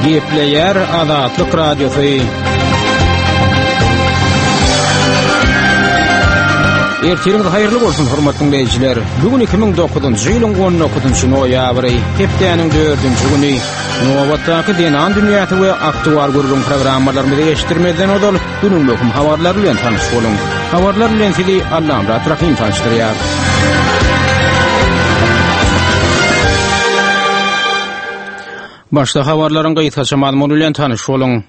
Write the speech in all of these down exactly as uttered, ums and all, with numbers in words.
Gepleýär Azatlyk Radiosy. Ertiriňiz haýyrly bolsun, hormatly dinleýjiler. Bu gün iki müň dokuzynjy ýylyň on dokuzynjy noýabry, hepdäniň dördünji güni. Nobatdaky Zenan dünýäsi we aktual gürrüň programmalarymyzy eşitdirmezden ozal günüň möhüm habarlary bilen tanyş boluň. Habarlar bilen sizi Allamyrat Rahym tanyşdyrýar. Başda habarlaryň gysgaça mazmuny bilen tanyş boluň.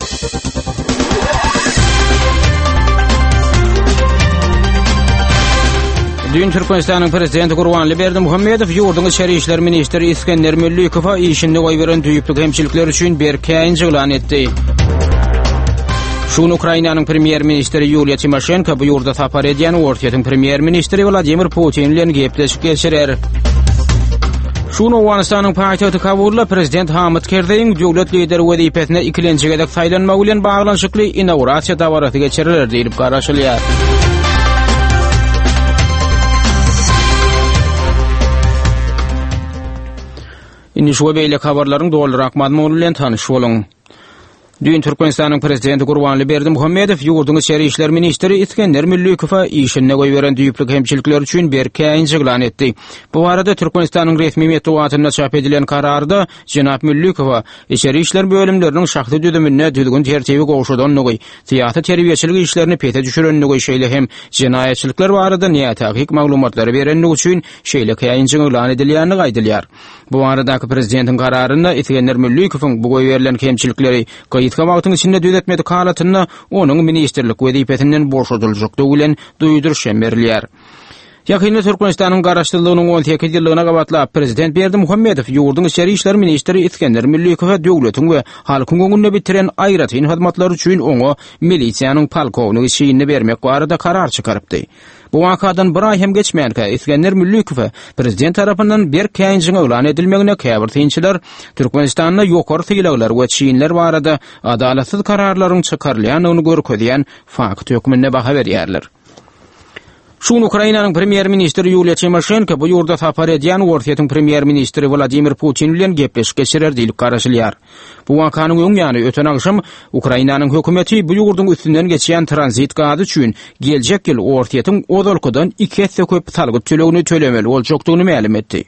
Düýn Türkmenistanyň Prezidenti Gurbanly Berdimuhamedow ýurduň içeri işler ministri Isgender Müllikowa işinde goýberen düýpli kemçilikler üçin berk käýinç yglan etdi. Şu gün Ukrainanyň premýer-ministri Ýuliýa Timoşenko bu ýurda sapar edýän Orsýetiň premýer-ministri Wladimir Putin bilen gepleşik geçirer. Şu gün Owganystanyň paýtagty Kabulda prezident Hamid Kerzeýiň döwlet lideri wezipesine ikilenji gezek saýlanmagy bilen baglanyşykly inaugurasiýa dabarasy geçiriler diýlip garaşylýar. Indi şu we beýleki habarlaryň dolurak mazmuny bilen tanyş boluň. Düýn Türkmenistanyň Prezidenti Gurbanly Berdimuhamedow ýurduň içeri işler ministri Isgender Müllikowa işinde goýberen düýpli kemçilikleri üçin berk käýinç yglan etdi. Bu barada Türkmenistanyň resmi metbugatynda çap edilen kararda jenap Müllikowa içeri işler bölümleriniň şahsy düzüminde düzgün-tertibi gowşadandygy, syýasy-terbiýeçilik işlerini pese düşürendigi, şeýle hem jenaýatçylyklar barada nätakyk maglumatlary berendigi üçin şeýle käýinjiň yglan edilýändigi aýdylýar. Bu baradaky prezidentiň kararynda Isgender Müllikowyň bu goýberilen kemçilikleri gysga wagtyň içinde düzetmedik halatynda onuň ministrlik wezipesinden boşadyljakdygy bilen duýduryş hem berilýär. Ýakynda Türkmenistanyň Garaşsyzlygynyň on sekiz ýyllygyna gabatlap prezident Berdimuhamedow ýurduň içeri işler ministri Isgender Müllikowa döwletiň we halkyň öňünde bitiren aýratyn hyzmatlary üçin oňa milisiýanyň polkownigi çinini bermek barada karar çykarypdy. Bu wakadan bir aý hem geçmänkä Isgender Müllikowa prezident tarapyndan berk käýinjiň yglan edilmegine käbir synçylar Türkmenistanda ýokary sylaglar we çinler barada adalatsyz kararlaryň çykarylýandygyny görkezýän fakt hökmünde baha berýärler. Şu gün Ukrainanyň premýer-ministri Ýuliýa Timoşenko bu ýurda sapar edýän Orsýetiň premýer-ministri Wladimir Putin bilen gepleşik geçirer diýlip garaşylýar. Bu wakanyň öň ýany öten agşam Ukrainanyň hökümeti bu ýurduň üstünden geçýän tranzit gazy üçin geljek ýyl Orsýetiň ozalkydan iki esse köp salgyt tölegini tölemeli boljakdygyny mälim etdi.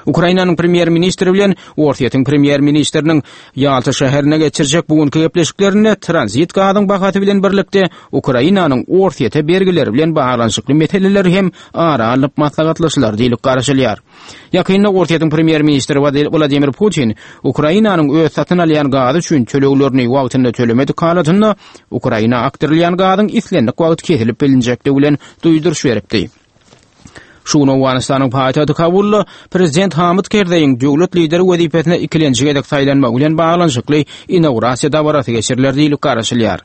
Ukrainanyň premýer-ministri bilen Orsýetiň premýer-ministriniň Ýalta şäherine geçirjek bu günki gepleşiklerinde tranzit gazyň bahasy bilen birlikde Ukrainanyň Orsýete bergileri bilen baglanyşykly meseleler hem ara alnyp maslahatlaşylar diýlip garaşylýar. Ýakynda Orsýetiň premýer-ministri Wladimir Putin Ukrainanyň öz satyn alýan gazy üçin töleglerini wagtynda tölemedik halatynda Ukraina akdyrylýan gazyň islendik wagt kesilip bilinjekdigi bilen duýduryş beripdi. Şu gün Owganystanyň paýtagty Kabulda prezident Hamid Kerzeýiň döwlet lideri wezipesine ikilenji gezek saýlanmagy bilen baglanyşykly inaugurasiýa dabarasy geçiriler diýlip garaşylýar.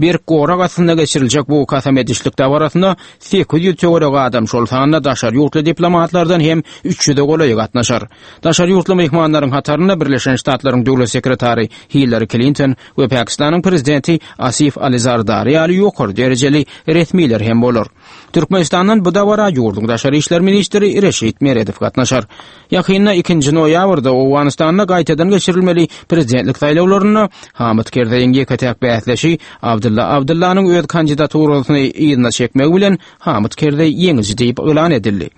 Berk gorag astynda geçiriljek bu kasam edişlik dabarasyna sekiz ýüz töweregi adam, şol sanda daşary ýurtly diplomatlardan hem üç ýüze golaýy gatnaşar. Daşary ýurtly myhmanlaryň hatarynda Birleşen Ştatlaryň döwlet sekretary Hillari Klinton we Pakistanyň prezidenti Asif Ali Zardari ýaly ýokary derejeli resmiler hem bolar. Türkmenistandan bu dabara ýurduň daşary işler ministri Reşit Meredow gatnaşar. Ýakynda ikinji noýabrda Owganystanda gaýtadan geçirilmeli prezidentlik saýlawlarynda Hamid Kerzeýiň ýeke-täk bäsdeşi Abdylla Abdyllanyň öz kandidaturasyny yzyna çekmegi bilen Hamid Kerzeý ýeňiji diýip yglan edildi.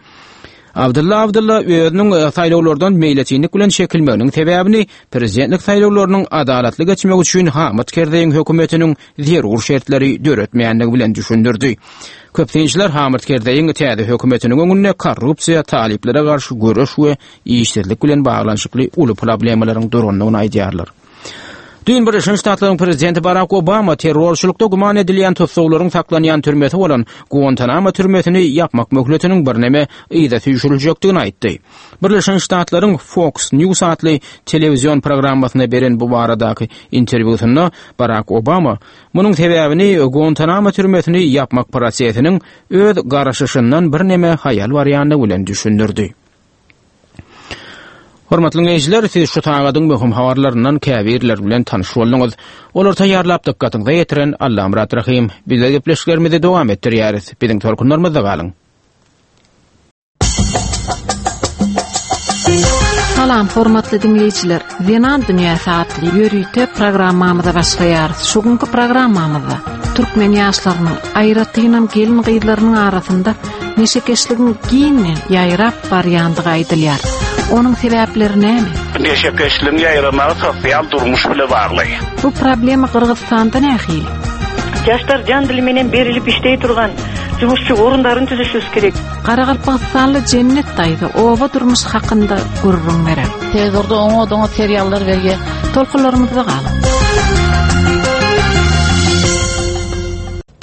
Abdylla Abdylla özüniň saýlawlardan meýletinlik bilen çekilmeginiň sebäbini prezidentlik saýlawlarynyň adalatly geçmegi üçin Hamid Kerzeýiň hökümetiniň zerur şertleri döretmeýändigi bilen düşündirdi. Köp synçylar Hamid Kerzeýiň täze hökümetiniň öňünde korrupsiýa, talyplara garşy göreş we işsizlik bilen baglanyşykly uly problemalaryň durandygyny aýdýarlar. Düýn Birleşen Ştatlaryň prezidenti Barak Obama terrorçylykda güman edilýän tussaglaryň saklanýan türmesi bolan Guantanamo türmesini ýapmak möhletiniň birneme yza süýşüriljekdigini aýtdy. Birleşen Ştatlaryň Fox News atly telewizion programmasynda beren bu baradaky interwýusynda Barak Obama munuň sebäbini Guantanamo türmesini ýapmak prosesiniň öz garaşyşyndan birneme haýal barýandygy bilen düşündirdi. Hormatly dinleýjiler, siz şu sagadyň möhüm habarlaryndan käbirleri bilen tanyş bolduňyz. Olary taýýarlap dykgatyňyza ýetiren Allamyrat Rahym. Biz gepleşiklerimizi dowam etdirýäris. Biziň tolkunlarymyzda galyň. Salam hormatly dinleýjiler. Zenan dünýäsi atly ýörite programmamyza başlaýarys. Şu günki programmamyzda türkmen ýaşlarynyň, aýratynam gelin gyzlarynyň arasynda neşekeşligiň giňden ýaýrap barýandygy aýdylýar. Onuň sebäpleri näme? Neşekeşligiň ýaýramagy sosial durmuş bile bagly. Bu problema Gyrgyzystanda nähili? Жаштар жан дили менен берилип иштей турган жумушчу орундарын түзүшүбүз керек. Garagalpagystanly Jennet daýza oba durmuş hakynda gürrüň berer. Telewizorda oňa doňa seriallar berýär. Tolkunlarymyzda galyň.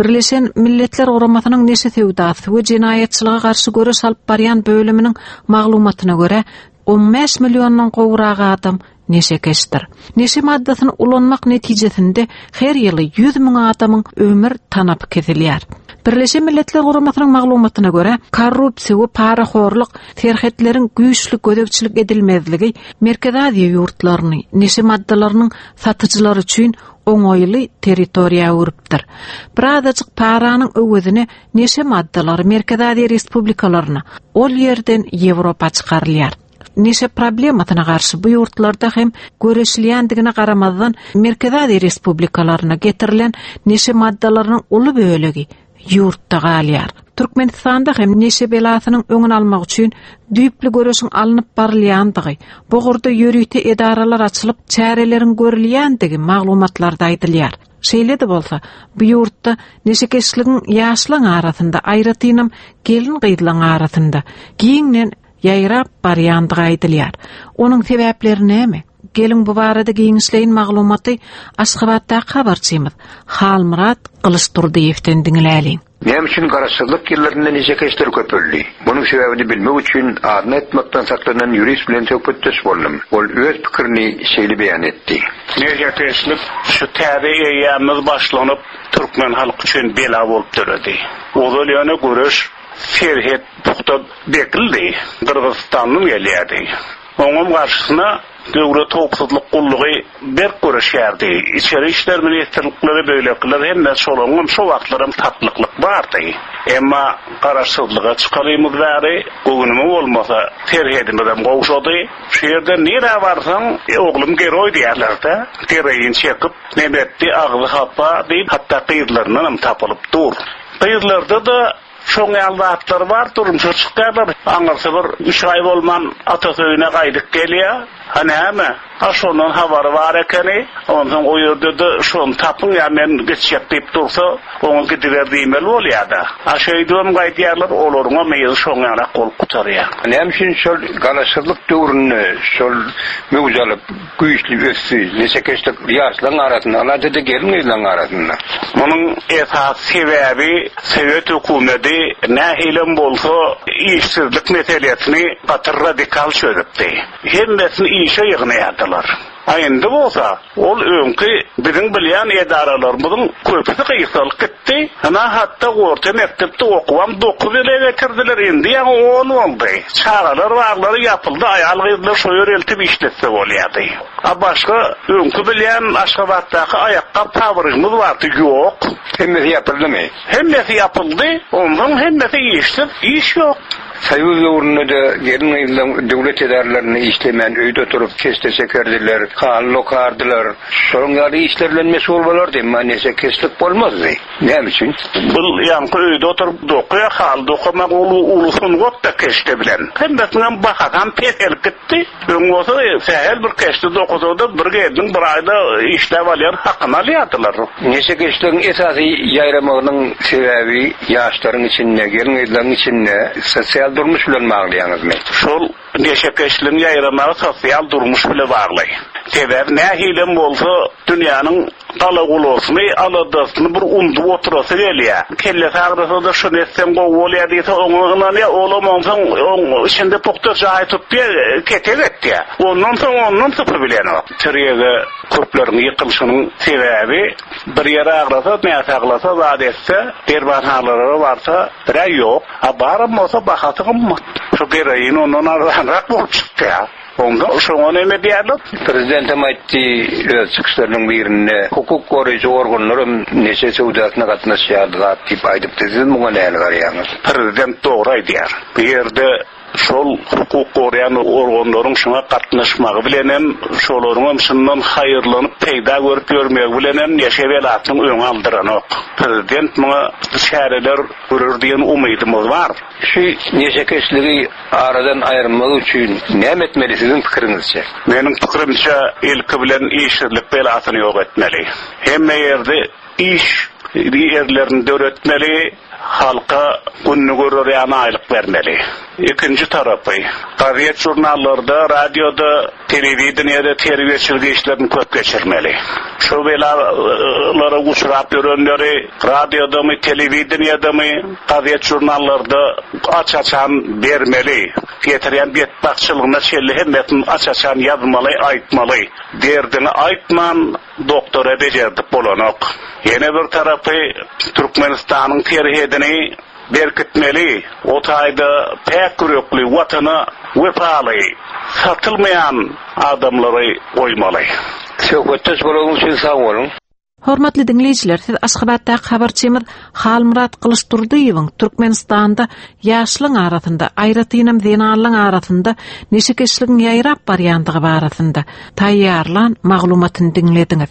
Birleşen Milletler Guramasynyň neşe söwdasy we jenaýatçylyga garşy göreş alyp barýan bölüminiň maglumatyna görä on bäş milliondan gowrak adam neşekeşdir. Neşe maddasyny ulanmak netijesinde her ýyly ýüz müň adamyň ömür tanapy kesilýär. Birleşen Milletler Guramasynyň maglumatyna görä korrupsiýa we parahorluk serhetleriň güýçli gözegçilik edilmezligi Merkezi Aziýa ýurtlaryny neşe maddalarynyň satyjylary üçin oňaýly territoriýa öwrüpdir. Birazajyk paranyň öwezine neşe maddalary Merkezi Aziýa respublikalaryna, ol ýerden Ýewropa çykarylýar. Neşe problemasyna garşy bu ýurtlarda hem göreşilýändigine garamazdan Merkezi Aziýa respublikalaryna getirilen neşe maddalarynyň uly bölegi ýurtda galýar. Türkmenistanda hem neşe belasynyň öňüni almak üçin düýpli göreşiň alnyp barylýandygy, bu ugurda ýörite edaralar açylyp çäreleriň görülýändigi maglumatlarda aýdylýar. Şeýle-de bolsa, bu ýurtda neşekeşligiň ýaşlaryň arasynda, aýratynam gelin gyzlaryň arasynda giňden ýaýrap barýandygy aýdylýar. Onuň sebäpleri näme? Gelin bu barada giňişleýin maglumaty Aşgabatdaky habarçymyz Halmyrat Gylyçdurdyýewden diňläliň. Näme üçin garaşsyzlyk ýyllarynda neşekeşler köpeldi? Munuň sebäbini bilmek üçin adyny aýtmakdan saklanan ýurist bilen söhbetdeş boldum. Ol öz pikirini şeýle beýan etdi. Neşekeşlik şu täze eýýämiz başlanyp türkmen halky üçin bela bolup döredi. Ozal ýöne göreş serhet puhta bekildi. Gyrgyzystandan gelýärdi. Oňam garşysyna döwlet howpsuzlyk gullugy berk göreşýärdi. Içeri işler ministrlikleri beýlekiler hemme şolaryň şo wagtlaram tatlyklyk bardy. Emma garaşsyzlyga çykarymyz bäri göwnüme bolmasa serhedimizem gowşady. Şu ýerde nirä barsaň, e, oglum geroý diýerler-de, gereýin çekip, nebetdi agzy hapa diýip, hatda gyzlaryndan hem tapylyp dur. Gyzlarda da şoň ýaly zatlar bar, durmuşa çykýarlar. Aňyrsy bir üç aý bolman atasy öýüne gaýdyp gelýär. Ha näme? Ha şondan habary bar ekeni. Ondan o ýerde-de şony tapyň ýa men geçjek diýip dursa, oňa gidiber diýmeli bolýar-da. Ha şeýdibem gaýdýarlar, olaryň hem ýeri şoň ýaly bolup gutarýar. Näme üçin şol garaşsyzlyk döwründe şol möwç alyp güýçli ösdi, neşekeşlik ýaşlaryň arasynda, aladada gelin gyzlaryň arasynda? Munuň esas sebäbi Sowet hökümeti nähilem bolsa işsizlik meselesini gaty radikal çözüpdi. Hemmesini işe ýygnaýardylar. A indi bolsa ol öňki biziň bilýän edaralarymyzyň köpüsi gysgalyp gitdi. Hana hatda orta mekdepde okuwam dokuz ýyla getirdiler, indi ýaňy on boldy. Çagalar baglary ýapyldy, aýal gyzlar şo ýer eltip işletse bolýardy. A başga öňki bilýän Aşgabatdaky aýakgap fabrigimiz bardy, ýok. Hemmesi ýapyldymy? Hemmesi ýapyldy, ondan hemmesi işsiz, iş ýok. Soýuz döwründe-de gelin gyzlaryň döwlet edaralarynda işlemän öýde oturyp keşde çekerdiler, haly okardylar. Şonuň ýaly işler bilen meşgul bolardy, emma neşekeşlik bolmazdy. Näme üçin? Bu ýaňky öýde oturyp dokaýar, haly dokamak uly uly sungat da keşde bilen. Hemmesiniň bahasam peselip gitdi. Öň bolsa sähel bir keşde dokasada bir gelin bir aýda işläp alýar, hakyny alýardylar. Neşekeşligiň esasy ýaýramagynyň sebäbi ýaşlaryň içinde, gelin gyzlaryň içinde sosial durmuş bilen baglaýaňyzmy? Şol neşekeşligiň ýaýramagy sosial durmuş bilen bagly. Sebäbi nähilem bolsa dünýäniň galagulasyny, aladasyny bir undup oturasy gelýär. Kelle sagrasa da şunu etseň gowy bolýar diýse, oňa ynanýar, olam onsoň oň içinde pukta jaý tutýar, ketek etýär. Ondan soň ondan sypy bilenok. Tirýege köpleriň ýykylyşynyň sebäbi bir ýere agrasa, näsaglasa, zat etse, dermanhanalara barsa, bire ýok. A baram bolsa bahasy gymmat. Şu gereýin ondan arzanrak bolup çykýar. Onda şoňa näme diýerler? Prezident hem aýtdy öz çykyşlarynyň birinde hukuk goraýjy organlar hem neşe söwdasyna gatnaşýar zat diýip aýdypdy. Siz muňa näme garaýaňyz? Prezident dogry aýdýar. Bu ýerde Şol hukuk goraýan organlaryň şuna gatnaşmagy bilenem, şolaryň şundan haýyrlanyp peýda görüp ýörmegi bilenem neşe belasynyň öňi aldyranok. Prezident muňa çäreler görür diýen umydymyz bar. Şu neşekeşligi aradan aýyrmak üçin näme etmeli siziň pikiriňizçe? Meniň pikirimçe ilki bilen işsizlik belasyny ýok etmeli. Hemme ýerde iş ýerlerini döretmeli, halka gününi görer ýaly aýlyk bermeli. Ikinji tarapy, gazet jurnallarda, radioda, telewideniýede terbiýeçilik işlerini köp geçirmeli. Şu belalara uçrap ýörenleri radiodamy, telewideniýedemi, gazet jurnallarda aç-açan bermeli. Getirýän betbagtçylygyna çenli hemmesini aç-açan ýazmaly, aýtmaly. Derdini aýtman doktora bejerdik bolanok. Ýene bir tarapy Türkmenistanyň serhedini berkitmeli. O taýda päk ýürekli, watana wepaly, satylmaýan adamlary goýmaly. Söhbetdeş bolanyňyz üçin sag boluň. Hormatly diňleýjiler, siz Aşgabatdaky habarçymyz Halmyrat Gylyçdurdyýewiň Türkmenistanda ýaşlaryň arasynda, aýratynam zenanlaryň arasynda neşekeşligiň ýaýrap barýandygy barasynda taýýarlan maglumatyny diňlediňiz.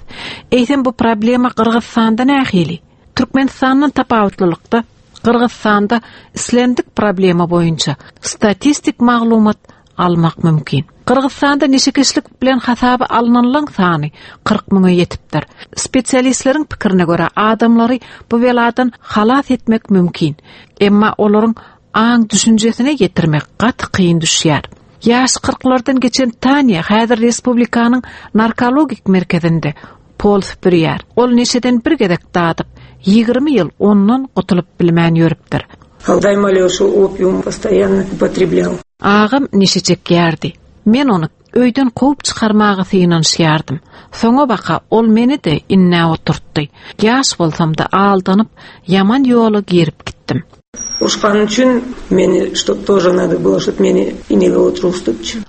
Eýsem bu problema Gyrgyzystanda nähili? Türkmenistandan tapawutlylykda Gyrgyzystanda islendik problema boýunça statistik maglumat almak mümkin. Gyrgyzystanda neşekeşlik bilen hasaba alynanlaryň sany kyrk müňe ýetipdir. Spesialistleriň pikirine görä adamlary bu beladan halas etmek mümkin. Emma olaryň aň düşünjesine ýetirmek gaty kyn düşýär. Ýaş kyrklardan geçen Tanya häzir respublikanyň narkologik merkezinde pol süpürýär. Ol neşeden bir gezek dadyp, ýigrimi ýyl ondan gutulyp bilmän ýörüpdir. Алдай Алеша опиум постоянно употреблял. Agam neşe çekýärdi. Men ony öýden kowup çykarmaga synanyşýardym. Soňa baka ol meni de inne oturtdy. Ýaş bolsam da aldanyp ýaman ýola girip gitdim. Ушкан үчүн мени, чтоб тоже надо было, чтоб мени инеге отургузтупчу.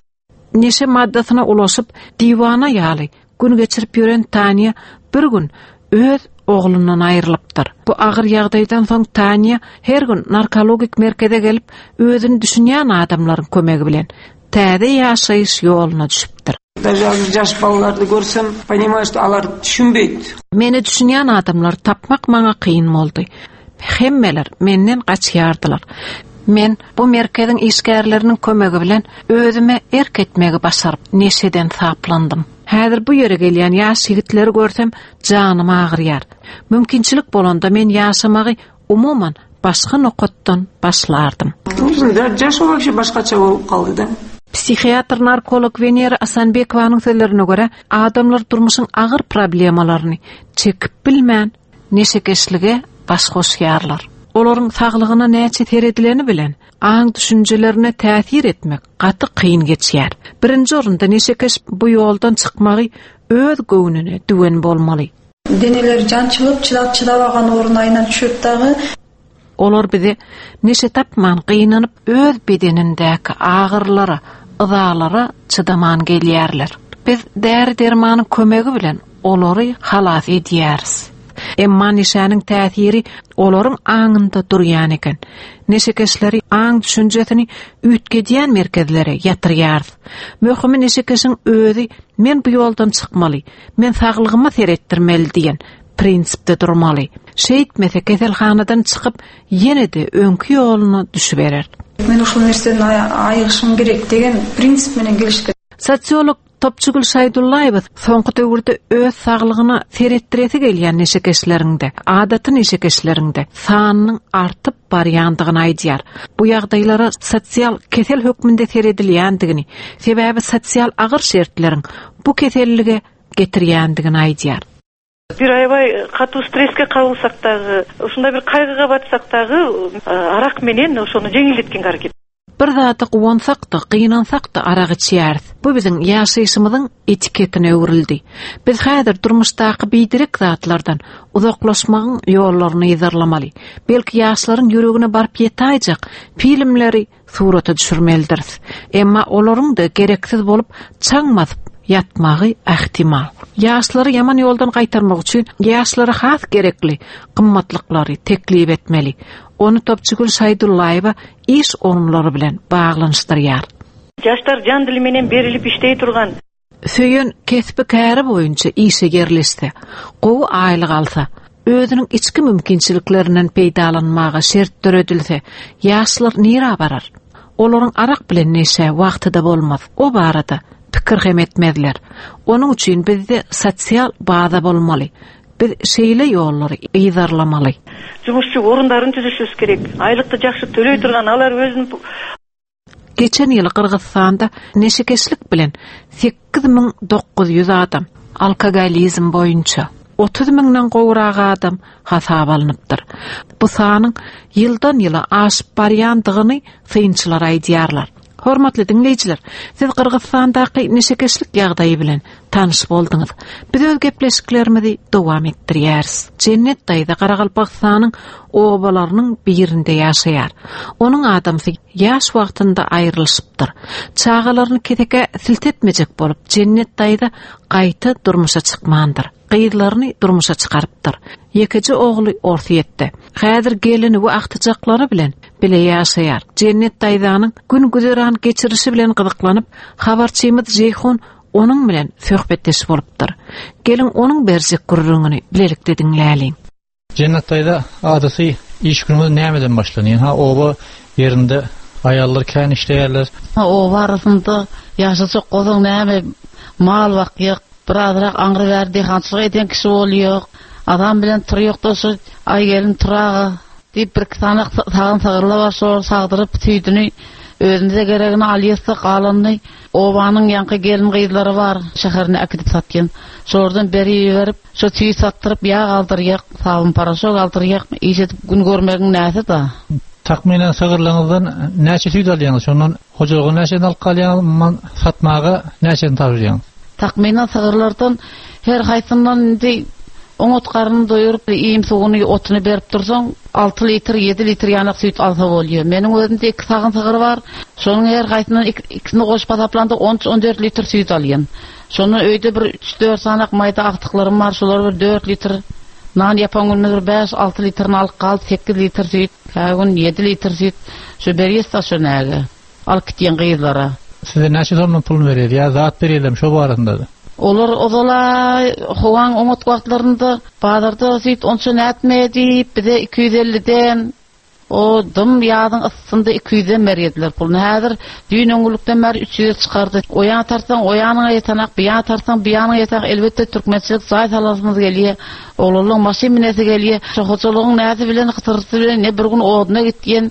Neşe maddasyna ulaşyp diwana ýaly gün geçirip ýören Tanya bir gün öz oglundan aýrylypdyr. Bu agyr ýagdaýdan soň Tanya her gün narkologik merkeze gelip özüni düşünýän adamlaryň kömegi bilen täze ýaşaýyş ýoluna düşüpdir. Даже азыр жаш балаларды көрсөм, понимаю, что алар түшүнбөйт. Meni düşünýän adamlar tapmak maňa kyn boldy. Hemmeler menden gaçýardylar. Men bu merkeziň işgärleriniň kömegi bilen özüme erk etmegi başaryp neşeden saplandym. Häzir bu ýere gelýän ýaş ýigitleri görsem janym agyrýar. Mümkinçilik bolanda men ýaşamagy umuman başga nokatdan başlardym. Да, жашоо вообще башкача болуп калды да. Psihiatr narkolog Venera Asanbekowanyň sözlerine görä, adamlar durmuşyň agyr problemalaryny çekip bilmän neşekeşlige baş goşýarlar. Olaryň saglygyna näçe seredileni bilen aň düşünjelerine täsir etmek gaty kyn geçýär. Birinji orunda neşekeş bu ýoldan çykmagy öz göwnüne düwen bolmaly. Денелери жанчылып, чыдап чыдабаган орун айынан түшөт дагы. Olar bize neşe tapman gynanyp öz bedenindäki agyrlara, yzalara çydaman gelýärler. Biz däri dermanyň kömegi bilen olary halas edýäris. Emma neşäniň täsiri olaryň aňynda durýan eken. Neşekeşleri aň düşünjesini üýtgedýän merkezlere ýatyrýarys. Möhümi neşekeşiň özi men bu ýoldan çykmaly, men saglygyma seretdirmeli diýen prinsipde durmaly. Şeýtmese keselhanadan çykyp ýene-de öňki ýoluna düşüberer. Мен ушул нерседен айыгышым керек деген принцип менен келиш керек. Sosiolog Topçugül Şaýdullaýewa soňky döwürde öz saglygyna seretdiresi gelýän neşekeşlerinde, adaty neşekeşlerinde sanynyň artyp barýandygyny aýdýar. Bu ýagdaýlara sosial kesel hökmünde seredilýändigini, sebäbi sosial agyr şertleriň bu kesellige getirýändigini aýdýar. Бир аябай катуу стресске кабылсак дагы, ушундай бир кайгыга батсак дагы, арак менен ошону жеңилдеткенге аракет. Bir zada guwansak da, gynansak da arak içýäris. Bu biziň ýaşaýşymyzyň etiketine öwrüldi. Biz häzir durmuşdaky biderek zatlardan uzaklaşmagyň ýollaryny yzarlamaly. Belki ýaşlaryň ýüregine baryp ýetaýjak filmleri surata düşürmelidiris. Emma olaryň da gereksiz bolup çaň basyp ýatmagy ähtimal. Ýaşlary ýaman ýoldan gaýtarmak üçin ýaşlara has gerekli gymmatlyklary teklip etmeli. Ony Topçugül Şaýdullaýewa iş orunlary bilen baglanyşdyrýar. Жаштар жан дили менен берилип иштей турган. Söýen kesbi käri boýunça işe ýerleşse, gowy aýlyk alsa, özüniň içki mümkinçiliklerinden peýdalanmaga şert döredilse, ýaşlar nirä barar? Olaryň arak bilen neşe wagty-da bolmaz. O barada pikir hem etmezler. Onuň üçin bizde sosial baza bolmaly. Biz şeýle ýollary yzarlamaly. Жумушчу орундарын түзүшүбүз керек. Айлыкты жакшы төлөй турган алар өзүнүн Geçen ýyl Gyrgyzystanda neşekeşlik bilen sekiz müň dokuz ýüz adam, alkogolizm boýunça otuz müňden gowrak adam hasap alnypdyr. Bu sanyň ýyldan ýyla aşyp barýandygyny synçylar aýdýarlar. Hormatly diňleýjiler, siz Gyrgyzystandaky neşekeşlik ýagdaýy bilen tanyş bolduňyz. Biz öz gepleşiklerimizi dowam etdirýäris. Cennet daýza Garagalpagystanyň obalarynyň birinde ýaşaýar. Onuň adamsy ýaş wagtynda aýrylyşypdyr. Çagalaryny keseke siltetmejek bolup Cennet daýza gaýta durmuşa çykmandyr. Gyzlaryny durmuşa çykarypdyr. Ýekeje ogly Orsyýetde. Häzir gelini we agtyjaklary bilen bile ýaşaýar. Cennet daýzanyň gün güzeran geçirişi bilen gyzyklanyp, habarçymyz Jeýhun onuň bilen söhbetdeş bolupdyr. Gelin onuň berjek gürrüňini bilelikde diňläliň. Cennet daýza adaty iş günümiz nämeden başlanýar? Ha oba ýerinde aýallar kän işleýärler. Ha oba arasynda ýaşajak gozuň näme mal bakýak, birazrak aňry berdi, hançylyk eden kişi bolýar. Adam bilen turýok da şu aý gelin turaga diýip bir iki sany sagyn sagyrla bar, şol sagdyryp tüýdüni özümize geregini alýarsak galanyny obanyň ýanky gelin gyzlary bar, şäherine äkidip satýan. Şordan beri berip, şo tüý satdyryp ýag aldyrýak, sabun paraşok aldyrýak, iş edip gün görmegiň näsi da. Takminen sagyrlaryňyzdan näçe tüý alýaňyz? Şondan hojalygy näçe alyp galýaňyz, man satmaga näçe tabşyrýaňyz? Takminen sagyrlardan her haýsyndan indi oňat garnyny doýurup, iým suwuny, otuny berip dursaň, alty litr, ýedi litr ýanak süýt alsa bolýar. Meniň özümde iki sagyn sygyr bar. Şonuň her haýsyndan iki, ikisini goşup hasaplanda on üç, on dört litr süýt alýan. Şondan öýde bir üç, dört sanak maýda agtyklarym bar. Şolar bir dört litr nan ýapan günde bir bäş, alty litrini alyp galyp sekiz litr süýt, her gün ýedi litr süýt. Şu berýär şo näge. Alyp gitýän gyzlara. Size näçe somdan pul berýär ýa zat berýärler şo barasynda da? Olar ozala howaň oňat wagtlarynda bazarda süýt onça nätmedi, bize iki ýüz elliden o dym ýadyň ysynda iki ýüzden berýärdiler puluny. Häzir düýn öňlükden bäri üç ýüze çykardy. Oýan tartsaň, oýanyňa ýetanak, biýan tartsaň, biýanyňa ýetanak. Elbetde türkmençilik zaý salasymyz gelýär. Oglanlyň maşyn minesi gelýär. Şo hojalygyň näsi bilen, hytyrysy bilen ne bir gün oduna gitýän,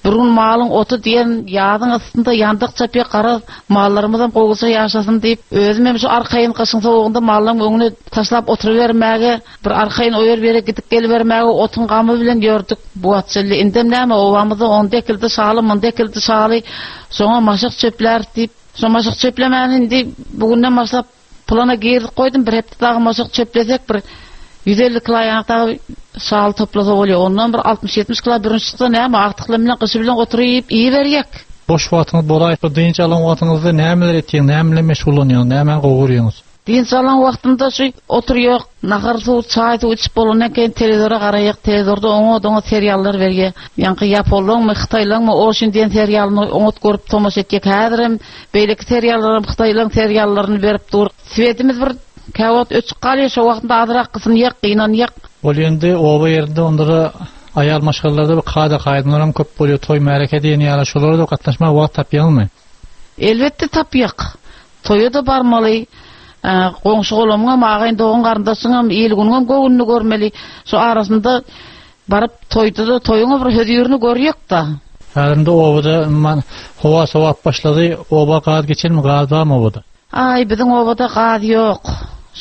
bir gün malyň oty diýen ýadyň ysynda ýandyk çapýa gara mallarymyzam gowuça ýaşasyn diýip, özüm hem şu arkaýyn gyşyň sowugynda mallaryň öňüne taşlap oturybermäge, bir arkaýyn oýar bere gidip gelibermäge otuň gamy bilen ýördük. Bu atçylly indem näme obamyzda onda ekildi şaly, munda ekildi şaly, soňa maşyk çöpler diýip, şo maşyk çöplemäni indi bugünden başlap plana girdik goýdum, bir hepde dagy maşyk çöplesek bir ýüz elli kilo ýanak dagy şaly toplasa bolýar. Ondan bir altmyş ýetmiş kilo birinji çyksa näme agtyklar bilen gyşy bilen oturyp iýi berýek. Boş wagtyňyz bolaýsa dynç alan wagtyňyzda nämeler etýäň, näme bilen meşgullanýaň, näme gowurýaňyz? Dynç alan wagtymda şu oturýok, nahar suw, çaý suw içip bolandan keyin telewizora garaýak, telewizorda oňa doňa seriallar berýär. Ýaňky Ýaponlaryňmy, Hytaýlaryňmy, Oşin diýen serialyny oňat görüp tomaşa etjek. Häzirem beýleki seriallaryň, Hytaýlaryň seriallaryny berip dur. Sweetimiz bir käwagt öçüp galýar, şo wagtynda azrak gysyn ýek, gynan ýek. Ol ýende oba ýerinde ondara aýal maşgalalarda bir kada kaýdynlar hem köp bolýar, toý märeke diýen ýaly şolara da gatnaşma wagt tapýaňmy? Elbetde tapýak. Toýa da barmaly. Ee, goňşy golamyňam, agaýyn dogan garyndaşyňam, il günüňem göwnüni görmeli. Şu arasynda baryp toýda da toýuňa bir hödürini görýek da. Häzirde obada man howa sowap başlady, oba gaz geçenmi, gaz barmy obada? Ay, biziň obada gaz ýok.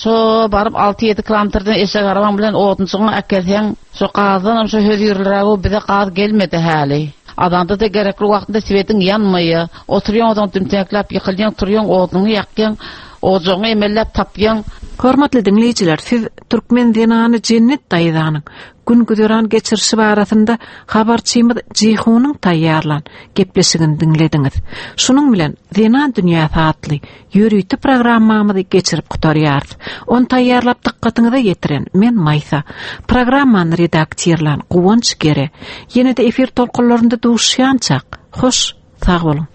Şo baryp alty ýedi kilometrden eşek arabaň bilen odunçyňy äkelseň, şo gazdan hem şo hödürler bu bize gaz gelmedi häli. Adamda da gerekli wagtynda swetiň ýanmaýar. Oturýan odun tümtekläp ýykylýan, turýan oduny ýakýan, ojagyňy emelläp tapýan. Hormatly diňleýjiler, siz türkmen zenany Cennet daýzanyň Gün-güzeran geçirişi barasynda habarçymyz Jihunyň taýýarlan gepleşigini diňlediňiz. Şunuň bilen Zenan dünýäsi atly ýörite programmamyzy geçirip gutarýarys. On taýýarlap dykgatyňyza ýetiren men Maýsa. Programmany redaktirlan Guwanç Gere. Ýene-de efir tolkunlarynda duşýançak. Hoş, sag boluň.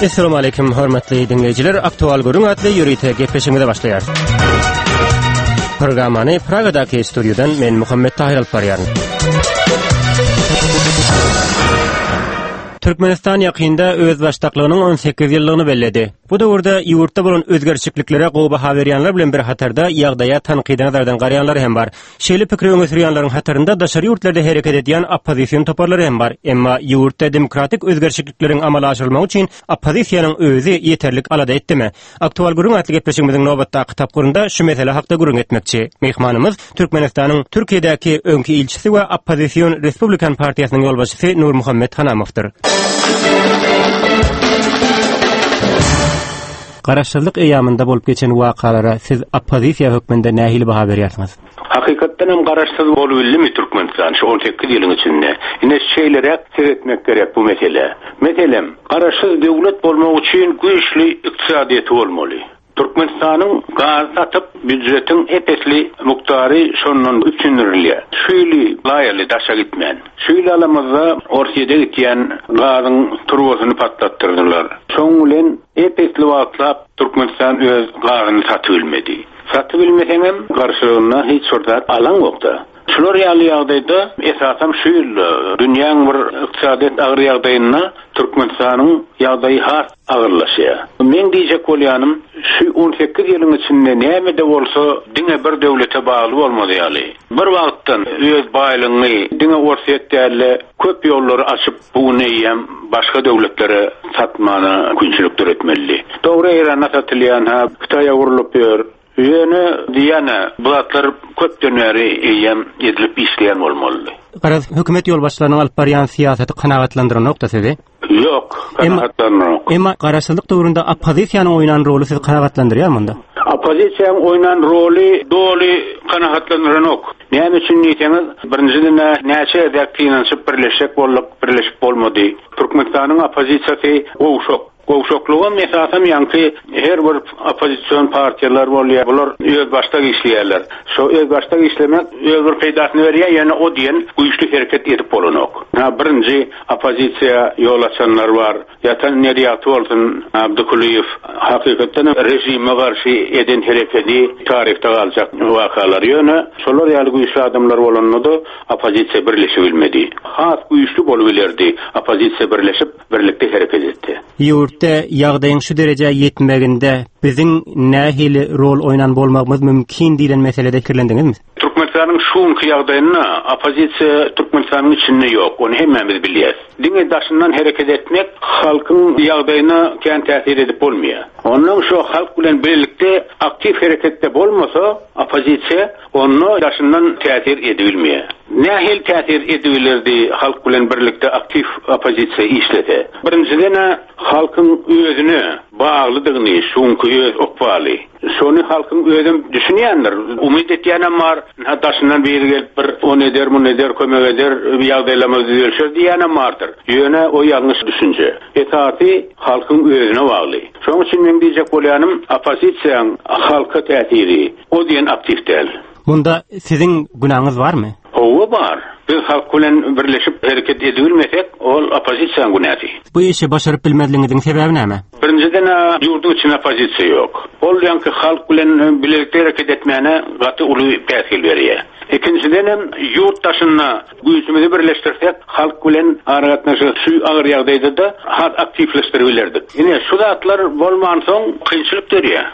Esselamu aleyküm hormatly dinleýjiler. Aktual görüň atly ýörite gepleşigimize başlaýarys. Programmany Pragadaky studiýadan men Muhammet Tahir alyp barýaryn. Türkmenistan ýakynda öz baştaklygynyň on sekiz ýyllygyny belledi. Bu döwürde ýurtda bolan özgerişliklere gowy baha berýänler bilen bir hatarda ýagdaýa tankydy nazardan garaýanlar hem bar. Şeýle pikiri öňe sürýänleriň hatarynda daşary ýurtlarda hereket edýän oppozision toparlary hem bar. Emma ýurtda demokratik özgerişlikleriň amala aşyrylmagy üçin oppozisiýanyň özi ýeterlik alada etdimi? Aktual gürrüň atly gepleşigimiziň nobatdaky tapgyrynda şu mesele hakda gürrüň etmekçi. Mehmanymyz Türkmenistanyň Türkiýedäki öňki ilçisi we oppozision Respublikan partiýasynyň ýolbaşçysy Nurmuhammet Hanamowdyr. Garaşsyzlyk eýamynda bolup geçen wakalara siz oppozisiýa hökmünde nähili baha berýärsiňiz? Hakykatdan hem garaşsyz bolubildimi Türkmenistan şu on sekiz ýylyň içinde? Ine şeýleräk seretmek gerek bu mesele. Meselem, garaşsyz döwlet bolmak üçin güýçli ykdysadyýeti bolmaly. Türkmenistanyň gaz satyp býudjetiň epesli mukdary şondan üpjündirilýär. Şu ýyly laýaly daşa gitmän. Şu ýyl alamyzda Orsýede gitýän gazyň turbasyny patlatdyrdylar. Şoň bilen epesli wagtlap Türkmenistan öz gazyny satyp bilmedi. Satyp bilmeseňem garşylygynda hiç bir zat alan ýokda. Şular ýaly ýagdaýda esasam şu ýyl dünýäň bir ykdysadyýet agyr ýagdaýynda Türkmenistanyň ýagdaýy has agyrlaşýar. Men diýjek bolýanym, şu on sekiz ýylyň içinde näme-de bolsa diňe bir döwlete bagly bolmaly ýaly. Bir wagtdan öz baýlygyny diňe Orsýet däl-de köp ýollary açyp bu neýem başga döwletlere satmana mümkinçilik döretmeli. Dogry Eýrana satylýan ha, Hytaýa gurlup ýör. Ýöne diýene bu zatlar köpden bäri eýem edilip işleýän bolmaly. Garaz hökümet ýolbaşçylarynyň alyp barýan syýasaty kanagatlandyranokda sizi? Ýok, kanagatlandyranok. Emma garaşsyzlyk döwründe oppozisiýanyň oýnan roly sizi kanagatlandyrýar munda? Oppozisiýanyň oýnan roly doly kanagatlandyranok. Näme üçin diýseňiz, birinjiden näçe gezek synanyşyp birleşjek bolduk, birleşip bolmady. Türkmenistanyň oppozisiýasy gowşak. Gowşaklygam esasam ýaňky her bir oppozision partiýalar bolýar. Bular öz başda işleýärler. Şo öz başda işlemek öz bir peýdasyny berýär, ýöne o diýen güýçli hereket edip bolanok. Ha birinji oppozisiýa ýol açanlar bar. Ýatan Neriýaty bolsun, Abdykulyýew hakykatdan rejime garşy eden hereketi taryhda galjak wakalar. Ýöne şolar ýaly güýçli adamlar bolanda da oppozisiýa birleşip bilmedi. Has güýçli bolup bilerdi oppozisiýa birleşip birlikde hereket etdi. Ýurtda ýagdaýyň şu derejä ýetmeginde biziň nähili rol oýnan bolmagymyz mümkin diýlen meselede pikirlendiňizmi? Türkmenistanyň şuňky ýagdaýynda oppozisiýa Türkmenistanyň içinde ýok. Ony hemmämiz bilýäris. Diňe daşyndan hereket etmek halkyň ýagdaýyna kän täsir edip bolmaýar. Ondan şu halk bilen birlikde aktiw hereketde bolmasa oppozisiýa onda daşyndan täsir edilmeýär. Nähili täsir edilerdi halk bilen birlikde aktiw oppozisiýa işlese? Birinjiden halkyň özüne baglydygyny, şuňky öz okbaly. Şony halkyň özüm düşünýändir. Umyt etýänem bar. Ha daşyndan biri gelip bir on eder, mun eder, kömek eder, ýagdaýlamaz düzelşer diýýänem bardyr. Ýöne o ýalňyş düşünje. Esasy halkyň özüne bagly. Şonuň üçin men diýjek bolýanym, oppozisiýanyň halka täsiri o diýen aktiw däl. Bunda siziň günäňiz barmy? Owa bar. Biz halk bilen birleşip hereket edilmesek, ol oppozisiýanyň günäsi. Bu işi başaryp bilmezligiňiziň sebäbi näme? Birinjiden ýurduň içinde oppozisiýa ýok. Ol ýaňky halk bilen birlikde hereket etmäne gaty uly päsgel berýär. Ikinjiden hem ýurt daşynda güýçimizi birleşdirsek, halk bilen aragatnaşygy şu agyr ýagdaýda da has aktiwleşdirip bilerdik. Ine şu zatlar bolmansoň kynçylyk dörýär.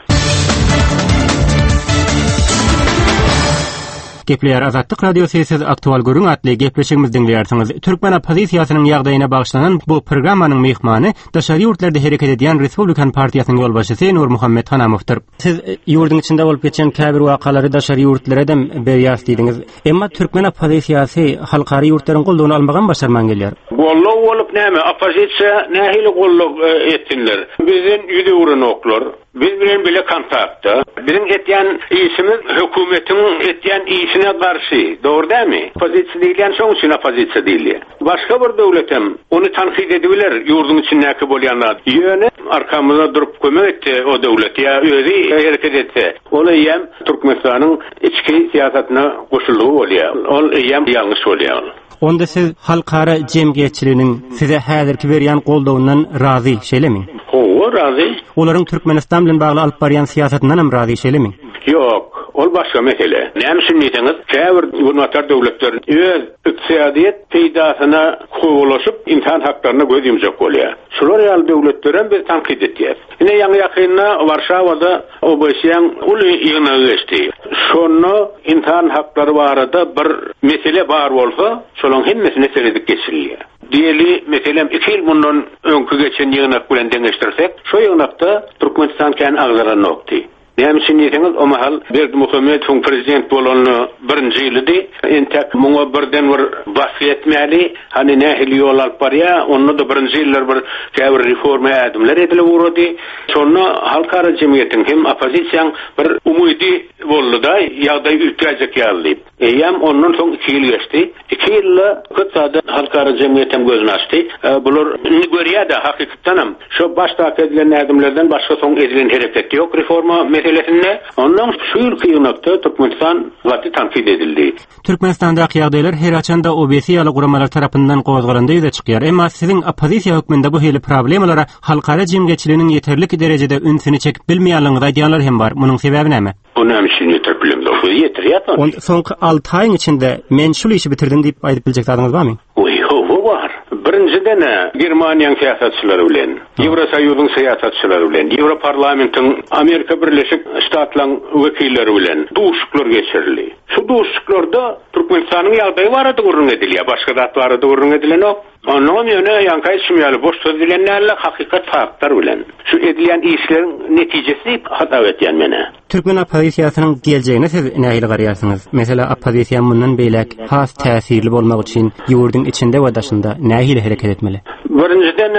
Gepleýär Azatlyk Radiosy siz aktual görüň atly gepleşigimizi diňleýärsiňiz. Türkmen oppozisiýasynyň ýagdaýyna bagyşlanan bu programmanyň mehmany daşary ýurtlarda hereket edýän Respublikan partiýasynyň ýolbaşçysy Nurmuhammet Hanamowdyr. Siz ýurduň içinde bolup geçen käbir wakalary daşary ýurtlara hem berýäs diýdiňiz. Emma türkmen oppozisiýasy halkara ýurtlaryň goldawyny almagy başarman gelýär. Goldaw Goldaw bolup näme, oppozisiýa nähili goldaw etsinler? Bizden ýüz öwrenoklar. Biz bilen bile kontaktda. Biziň etýän işimiz hökümetiň etýän işine garşy. Dogry dälmi? Oppozisiýa diýilýän şoň üçin oppozisiýa diýilýär. Başga bir döwletem ony tankyt edibiler ýurduň içindäki bolýanlar. Ýöne arkamyzda durup kömek etdi o döwlet ýa özi hereket etse, ol eýýäm Türkmenistanyň içki syýasatyna goşuldygy bolýar. Ol eýýäm ýalňyş bolýar. Onda siz halkara jemgyýetçiliginiň size häzirki berýän goldawyndan razy, şeýlemi? Hawa, razy. Olaryň Türkmenistan bilen bagly alyp barýan syýasatyndan hem razy, şeýlemi? Ýok, ol başga mesele. Näme üçin diýseňiz, käbir günbatar döwletler öz ykdysadyýet peýdasyna kowalaşyp insan haklaryna göz ýumjak bolýar. Şular ýaly döwletlerem biz tankyt etýäs. Ine ýaňy ýakynda Warşawada O B S Eň uly ýygnagy geçdi. Şonda insan haklary barada bir mesele bar bolsa, şolaryň hemmesine seredip geçirilýär. Diýeli, meselem, iki ýyl mundan öňki geçen ýygnak bilen deňeşdirsek, şo ýygnakda Türkmenistan kän agzalanokdy. Näme üçin diýseňiz, o mahal Berdimuhamedowyň prezident bolanyny birinji ýylydy. Entek muňa birden bir basgy etmäli, hani nähili ýol alyp barýar, onda da birinji ýyllar bir käbir reforma ädimler edilip ugrady. Şonda halkara jemgyýetiň hem oppozisiýaň bir umydy boldy-da, ýagdaý üýtgäjek ýaly diýip. Eýýäm ondan soň iki ýyl geçdi. Iki ýylda köp zada halkara jemgyýet hem gözüni açdy. E, bular indi görýär-de hakykatdan hem şu başdaky edilen ädimlerden başga soň edilen hereket ýok reforma meselesinde. Ondan şu ýylky ýygnakda Türkmenistan gaty tankyt edildi. Türkmenistandaky ýagdaýlar her haçanda O B S E ýaly guramalar tarapyndan gozgalanda ýüze çykýar. Emma siziň oppozisiýa hökmünde bu hili problemalara halkara jemgyýetçiliginiň ýeterlik derejede ünsüni çekip bilmeýänligiňizi aýdýanlar hem bar. Munuň sebäbi näme? Bu näme üçin ýetirip bilemzok? Biz ýetirýär ony. On soňky alty aýyň içinde men şul işi bitirdim diýip aýdyp biljek zadyňyz barmy? Oý, hawa bar. Birinjiden Germaniýanyň syýasatçylary bilen, Ýewrosoýuzyň syýasatçylary bilen, Ýewroparlamentiň Amerika Birleşik Ştatlaryň wekilleri bilen duşuşyklar geçirildi. Şu duşuşyklarda Türkmenistanyň ýagdaýy barada gürrüň edilýär, başga zat barada gürrüň edilenok. Ondan ýöne ýaňky aýtşym ýaly boş söz bilen däl, hakykat faktlar bilen. Şu edilýän işleriň netijesi diýip hasap etýän mene. Türkmen oppozisiýasynyň geljegine siz nähili garaýarsyňyz? Mesela oppozisiýa mundan beýläk has täsirli bolmak üçin ýurduň içinde we daşynda nähili hereket etmeli? Birinjiden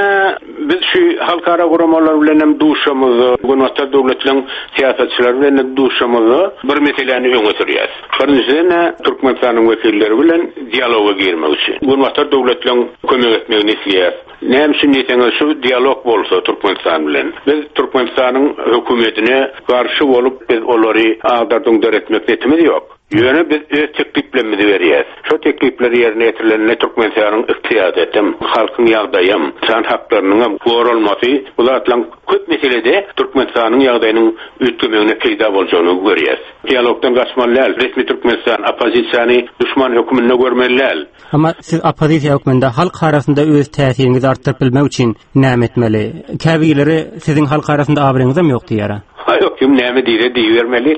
biz şu halkara guramalar bilen hem duşamyzda, Günbatar döwletleň syýasatçylary bilen hem duşamyzda bir meseläni öňe sürýäs. Birinjiden Türkmenistanyň wekilleri bilen dialoga girmek üçin. Günbatar döwletleň kömek etmegini isleýäs. Näme üçin diýseňiz, şu dialog bolsa Türkmenistan bilen. Biz Türkmenistanyň hökümetine garşy bolup biz olary agdardyň döretmek niýetimiz ýok. Ýöne biz öz tekliplerimizi berýäs. Şu teklipler ýerine ýetirilende Türkmenistanyň ykdysadyýetim, halkyň ýagdaýym, insan haklarynyň hem goralmasy bu zatlaryň köp meselede Türkmenistanyň ýagdaýynyň üýtgemegine peýda boljagyny görýäs. Dialogdan gaçmaly däl. Resmi Türkmenistan oppozisiýany düşman hökmünde görmeli däl. Ama siz oppozisiýa hökmünde halk arasynda öz täsiriňizi artdyryp bilmek üçin näme etmeli? Käbirleri siziň halk arasynda abraýyňyz hem ýok diýýär. Ha ýok, kim näme diýse diýibermeli.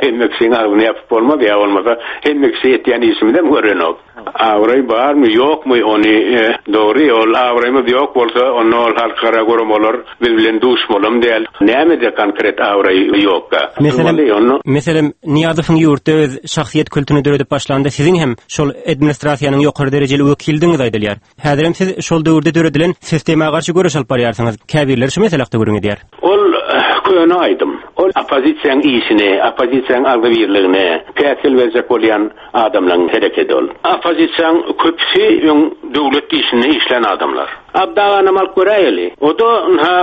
Hemme kişiniň agzyny ýapyp bolmaz ýa bolmasa hemme kişi etýän işimizem görenok. Abraý barmy, ýokmy ony e, dogry, ol abraýymyz ýok bolsa, onda ol halkara guramalar biz bilen duşmalam däl. Näme-de konkret abraý ýokka. Meselem, Onda meselem Niýazowyň ýurtda öz şahsyýet kültüni döredip başlanda siziň hem şol administrasiýanyň ýokary derejeli wekildiňiz aýdylýar. Häzirem siz şol döwürde döredilen sistema garşy göreş alyp barýarsyňyz. Käbirleri şu mesele hakda gürrüň edýär. Ol eh, köne aýdym. Ol oppozisiýanyň işini, oppozisiýanyň agzybirligini päsgel berjek bolýan adamlaryň hereketi ol. Oppozisiýanyň köpüsi öň döwlet işinde işlän adamlar. Abdaganam alyp göräýeli. O da ha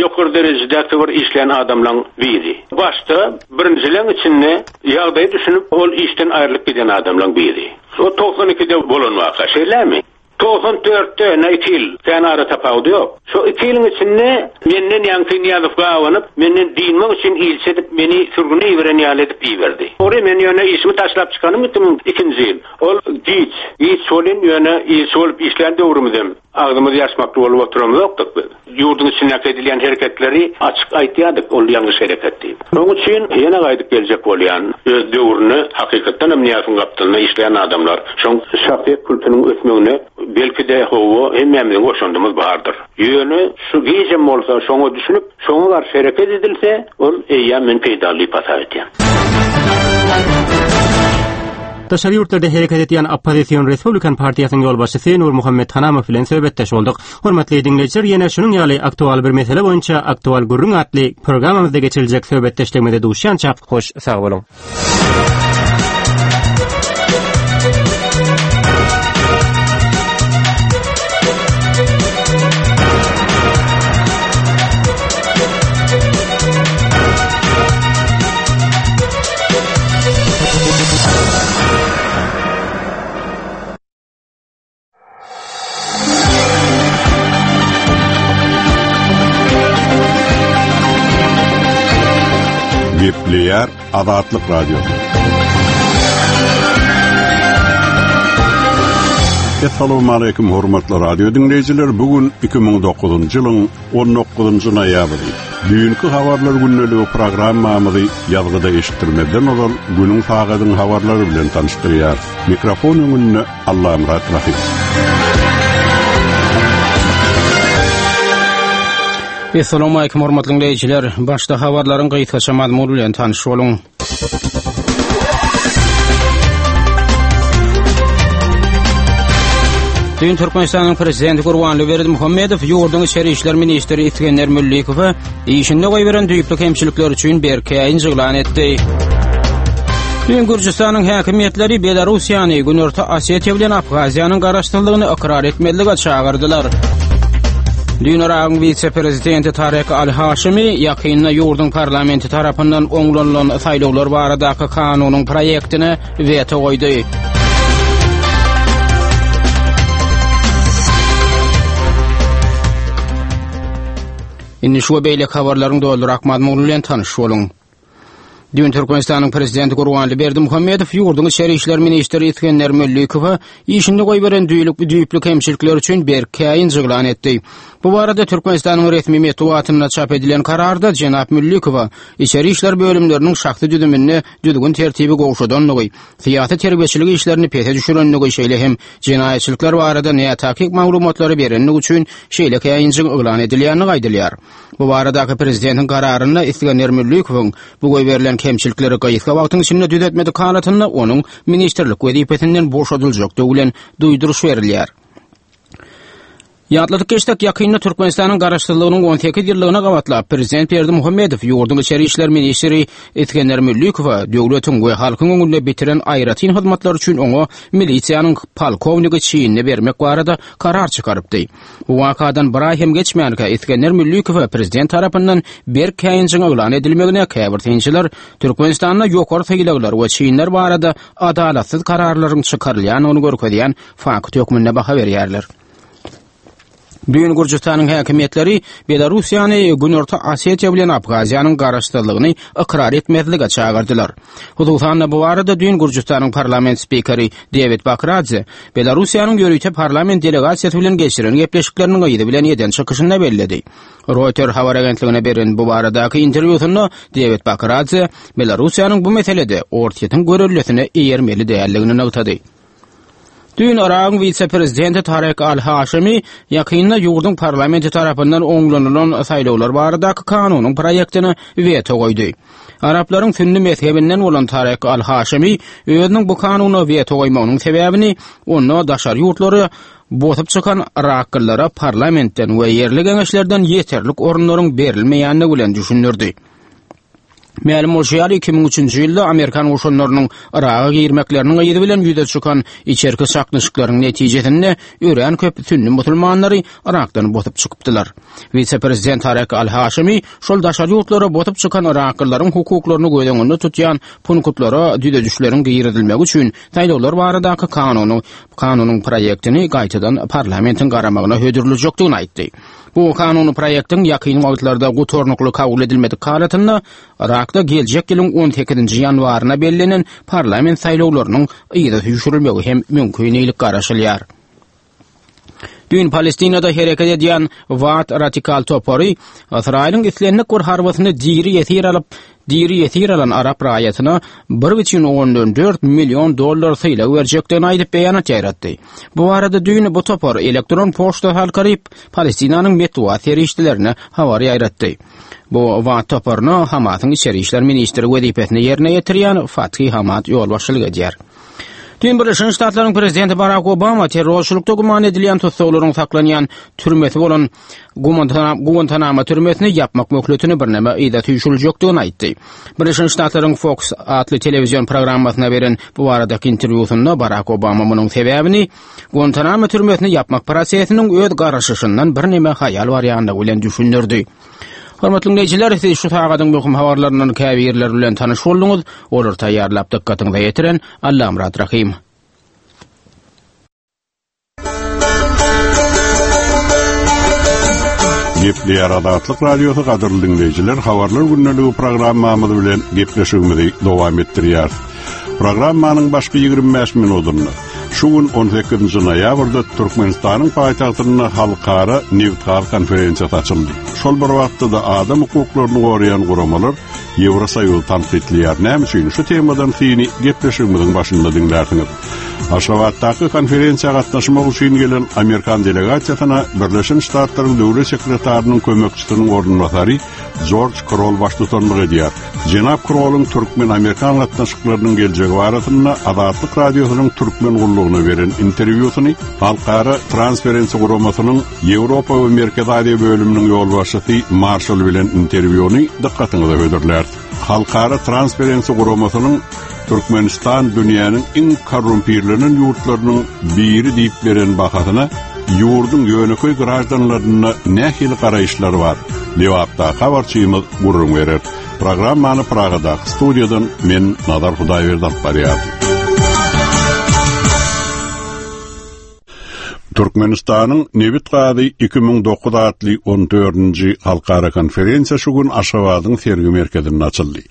ýokary derejedäki bir işlän adamlaryň biri. Başda birinjileň içinde ýagdaýy düşünip ol işden aýrylyp giden adamlaryň biri. O togsan ikide bolan waka, şeýlemi? togsan dörtde ne iki ýyl sen ara tapawudy ýok. Şu iki ýylyň içinde menden ýaňky Niýazow gawanyp, menden dinmek üçin ilçi edip meni sürgüne iberen ýaly edip iberdi. Ori men ýöne işimi taşlap çykanym iki müň ikinji ýyl. Ol giç, giç bolyn ýöne ilçi bolup işlän döwrümizem agzymyz ýaşmakly bolup oturamyzokdyk biz. Ýurduň içindäki edilýän hereketleri açyk aýtýardyk, ol ýalňyş hereket diýip. Onuň üçin ýene gaýdyp geljek bolýan öz döwrüne hakykatdan hem Niýazowyň gapdalynda işleýän adamlar şoň şahsyýet kültüniň ösmegine belki de hawa hemmämiziň goşandymyz bardyr. Ýöne şu gijem bolsa şoňa düşünip, şoňa garşy hereket edilse, ol eýýäm men peýdaly diýip hasap etýän. Daşary ýurtlarda hereket edýän oppozision Respublikan partiýasynyň ýolbaşçysy Nurmuhammet Hanamow bilen söhbetdeş bolduk. Hormatly diňleýjiler, ýene şunuň ýaly aktual bir mesele boýunça aktual gürrüň atly programmamyzda geçiriljek söhbetdeşligimize duşýança hoş sag boluň. Gepleýär Azatlyk Radiosy. Essalamu aleýkum hormatly radio dinleýjiler. Bu gün iki müň dokuzynjy ýylyň on dokuzynjy noýabry. Düýnki habarlar gündeligi programmamyzy ýazgyda eşitdirmezden ozal günüň sagadyň habarlary bilen tanyşdyrýar. Mikrofon öňünde Allamyrat Rahim. Essalamu aleýkum hormatly dinleýjiler. Başda habarlaryň gysgaça mazmuny bilen tanyş boluň. Düýn Türkmenistanyň Prezidenti Gurbanguly Berdimuhamedow ýurduň içeri işler ministri Isgender Müllikowa işinde goýberen düýpli kemçilikler üçin berk käýinç yglan etdi. Düýn Gürjüstanyň häkimiýetleri Belarussiýany Günorta Osetiýa bilen Abhaziýanyň garaşsyzlygyny ykrar etmezlige çagyrdylar. Düýn Yragyň wise-prezidenti Tarek Al-Haşimi ýakynda ýurduň parlamenti tarapyndan oňlanylan saýlawlar baradaky kanunyň proýektine weto goýdy. Indi şu we beýleki habarlaryň dolurak mazmuny bilen tanyş boluň. Düýn Türkmenistanyň Prezidenti Gurbanguly Berdimuhamedow ýurduň içeri işler ministri Isgender Müllikowa işinde goýberen düýlükli düýpli kemçilikler üçin berk käýinç yglan etdi. Bu barada Türkmenistanyň resmi metbugatynda çap edilen kararda Jenap Müllikowa içeri işler bölümleriniň şahsy düzüminde düzgün tertibi gowşadandygy, syýasy terbiýeçilik işlerini pese düşürendigi, şeýle hem jenaýatçylyklar barada nätakyk maglumatlary berendigi üçin şeýle käýinjiň yglan edilýändigi aýdylýar. Bu baradaky prezidentiň kararynda Isgender Müllikowyň bu goýberilen kemçilikleri gysga wagtyň içinde düzetmedik halatynda onuň ministrlik wezipesinden boşadyljakdygy bilen duýduryş berilýär. Ýatladyk geçsek, ýakynda Türkmenistanyň garaşsyzlygynyň on sekiz ýyllygyna gabatlap Prezident Berdimuhamedow ýurduň içeri işler ministri Isgender Müllikowa döwletiň we halkyň öňünde bitiren aýratyn hyzmatlary üçin oňa milisiýanyň polkownigi çinini bermek barada karar çykarypdy. Bu wakadan bir aý hem geçmänkä Isgender Müllikowa prezident tarapyndan berk käýinjiň yglan edilmegine käbir synçylar Türkmenistanda ýokary sylaglar we çinler barada adalatsyz kararlaryň çykarylýandygyny görkezýän fakt hökmünde baha berýärler. Düýn Gürjüstanyň häkimiýetleri Belarussiýany Günorta Osetiýa bilen Abhaziýanyň garaşsyzlygyny ykrar etmezlige çagyrdylar. Hususan-da bu barada düýn Gürjüstanyň parlament spikeri Dewid Bakradze Belarussiýanyň ýörite parlament delegasiýasy bilen geçiren gepleşikleriniň yzy bilen eden çykyşynda belledi. Reuters habar agentligine beren bu baradaky interwýusynda Dewid Bakradze Belarussiýanyň bu meselede Orsýetiň görellesine eýermeli däldigini nygtady. Düýn Yragyň wise-prezidenti Tarek Al-Haşimi ýakynda ýurduň parlamenti tarapyndan oňlanylan saýlawlar baradaky kanunyň proýektine weto goýdy. Araplaryň sünni mezhebinden bolan Tarek Al-Haşimi özüniň bu kanuna weto goýmagynyň sebäbini onda daşary ýurtlary bosup çykan Yraklylara parlamentden we ýerli geňeşlerden ýeterlik orunlaryň berilmeýändigi bilen düşündirdi. Mälim bolşy ýaly iki müň üçünji ýylda Amerikan goşunlarynyň Yraga girmekleriniň yzy bilen ýüze çykan içerki çaknyşyklaryň netijesinde örän köp sünni musulmanlary Yrakdan bosup çykypdylar. Wise-prezident Tarek Al-Haşimi şol daşary ýurtlara bosup çykan Yraklylaryň hukuklaryny göz öňünde tutýan punktlara düzedişleriň girizilmegi üçin saýlawlar baradaky kanunyň, kanunyň proýektini gaýtadan parlamentiň garamagyna hödürlejekdigini aýtdy. Bu kanuny proýektiň ýakyn wagtlarda gutarnykly kabul edilmedik halatynda Yrakda geljek ýylyň on sekizinji ýanwaryna bellenen parlament saýlawlarynyň yza süýşürilmegi hem mümkin diýlip garaşylýar. Düýn Palestinada hereket edýän Waat radikal topary Ysraýylyň islendik bir harbysyny diri ýesir alyp, diri ýesir alan arap raýatyna bir bütin ondan dört million dollar sylag berjekdigini aýdyp beýanat ýaýratdy. Bu barada düýn bu topar elektron poçta halkaryp Palestinanyň metbugat serişdelerine habar ýaýratdy. Bu Waat toparyna Hamasyň içeri işler ministri wezipesini ýerine ýetirýän Fathi Hamad ýolbaşçylyk edýär. Düýn Birleşen Ştatlaryň prezidenti Barak Obama terrorçylykda güman edilýän tussaglaryň saklanýan türmesi bolan Guantanamo türmesini ýapmak möhletini birneme yza süýşüriljekdigini aýtdy. Birleşen Ştatlaryň Fox atly telewizion programmasyna beren bu baradaky interwýusynda Barak Obama munuň sebäbini Guantanamo türmesini ýapmak prosesiniň öz garaşyşyndan birneme haýal barýandygy bilen düşündirdi. Hormatly dinleýjiler, siz şu sagadyň möhüm habarlaryndan käbirleri bilen tanyş bolduňyz. Olary taýýarlap dykgatyňyza ýetiren Allamyrat Rahym. Gepleýär Azatlyk Radiosy gadyrly dinleýjiler, habarlar gündeligi programmamyz bilen gepleşigimizi dowam etdirýär. Programmanyň başky ýigrimi bäş minutynda şu gün on sekizinji noýabrda Türkmenistanyň paýtagtynda halkara nebitgaz konferensiýasy açyldy. Şol bir wagtda-da adam hukuklaryny goraýan guramalar Ýewrosoýuzy tankytlaýar. Näme üçin şu temadan syny gepleşigimiziň başynda diňlärsiňiz. Aşgabatdaky konferensiýa gatnaşmak üçin gelen Amerikan delegasiýasyna Birleşen Ştatlaryň Döwlet sekretarynyň kömekçisiniň orunbasary Jorj Krol baştutanlyk edýär. Jenap Krolyň türkmen-amerikan gatnaşyklarynyň geljegi barasynda Azatlyk Radiosynyň türkmen gullugyna beren interwýusyny Halkara Transparency guramasynyň Ýewropa we Merkezi Aziýa bölüminiň ýolbaşçysy Marşal bilen interwýuny dykgatyňyza hödürlär. Halkara Transparency guramasynyň Türkmenistan dünýäniň iň korrumpirlenen ýurtlarynyň biri diýip beren bahasyna ýurduň ýönekeý graždanlaryna nähili garaýyşlar bar? Lebapda habarçymyz gürrüň berer. Programmany Pragadaky studiýadan men Nazar Hudaýberdi alyp barýardym. Türkmenistanyň nebit gazy iki müň dokuz atly on dördünji halkara konferensiýa şu gün Aşgabadyň sergi merkezinde açyldy.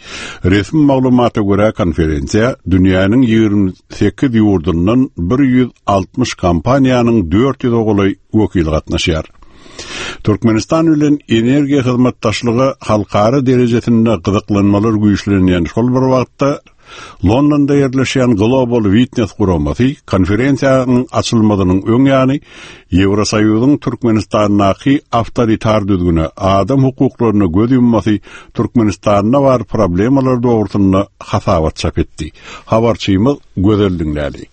Resmi maglumata görä konferensiýa dünýäniň ýigrimi sekiz ýurdundan bir ýüz altmyş kompaniýanyň dört ýüz golaý wekili gatnaşýar. Türkmenistan bilen energiýa hyzmatdaşlygy halkara derejesinde gyzyklanmalar güýçlenýän şol bir wagtda Londonda ýerleşýän Global Witness guramasy konferensiýanyň açylmagynyň öň ýany Ýewrosoýuzyň Türkmenistandaky awtoritar düzgüne, adam hukuklaryna göz ýummasy Türkmenistanda bar problemalar dogrusynda hasabat çap etdi. Habarçymyz Gözel Diňläli.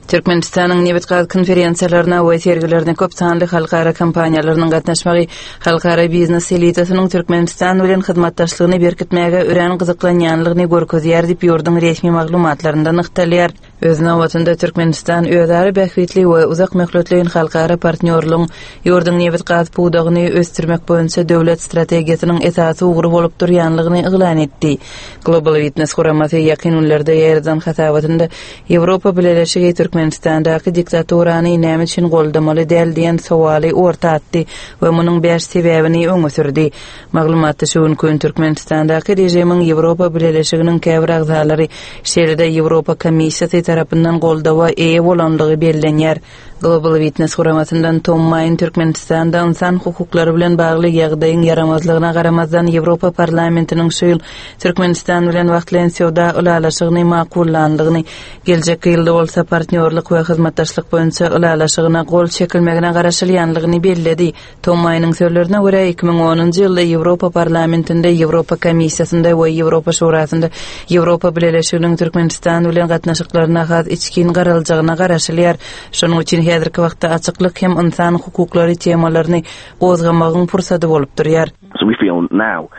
Türkmenistanyň nebit-gaz konferensiýalaryna we sergilerine köp sanly halkara kompaniýalarynyň gatnaşmagy halkara biznes elitasynyň Türkmenistan bilen hyzmatdaşlygyny berkitmäge örän gyzyklanýanlygyny görkezýär diýip ýurduň resmi maglumatlarynda nygtalýar. Öz nobatynda Türkmenistan özara bähbitli we uzak möhletleýin halkara partnýorlygyň ýurduň nebit-gaz pudagyny ösdürmek boýunça döwlet strategiýasynyň esasy ugry bolup durýanlygyny yglan etdi. Global Witness guramasy ýakyn günlerde ýerden hasabatynda Ýewropa Bileleşigi Türkmenistandaky diktaturany näme üçin goldamaly däl diýen sowaly orta atdy we munuň bäş sebäbini öňe sürdi. Maglumatda şu gün Türkmenistandaky režimiň Ýewropa Bileleşiginiň käbir agzalary, şeýle-de Ýewropa Komissiýasy tarapyndan goldawa eýe bolanlygy bellenýär. Global Witness guramasyndan Tom Maýn Türkmenistanda insan hukuklary bilen bagly ýagdaýyň ýaramazlygyna garamazdan Ýewropa Parlamentiniň şu ýyl Türkmenistan bilen wagtlaýyn söwda ylalaşygyny makullandygyny, geljek ýylda bolsa partnýorlyk we hyzmatdaşlyk boýunça ylalaşygyna gol çekilmegine garaşylýanlygyny belledi. Tom Maýnyň sözlerine görä iki müň onunjy ýylda Ýewropa Parlamentinde, Ýewropa Komissiýasynda we Ýewropa Şurasynda Ýewropa Bileleşiginiň Türkmenistan bilen gatnaşyklaryna has içgin garaljagyna garaşylýar. Şonuň üçin häzirki wagtda açyklyk hem insan hukuklary temalaryny gozgamagyň pursady bolup durýar. So we feel now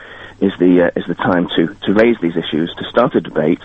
is the, uh, is the time to, to raise these issues, to start a debate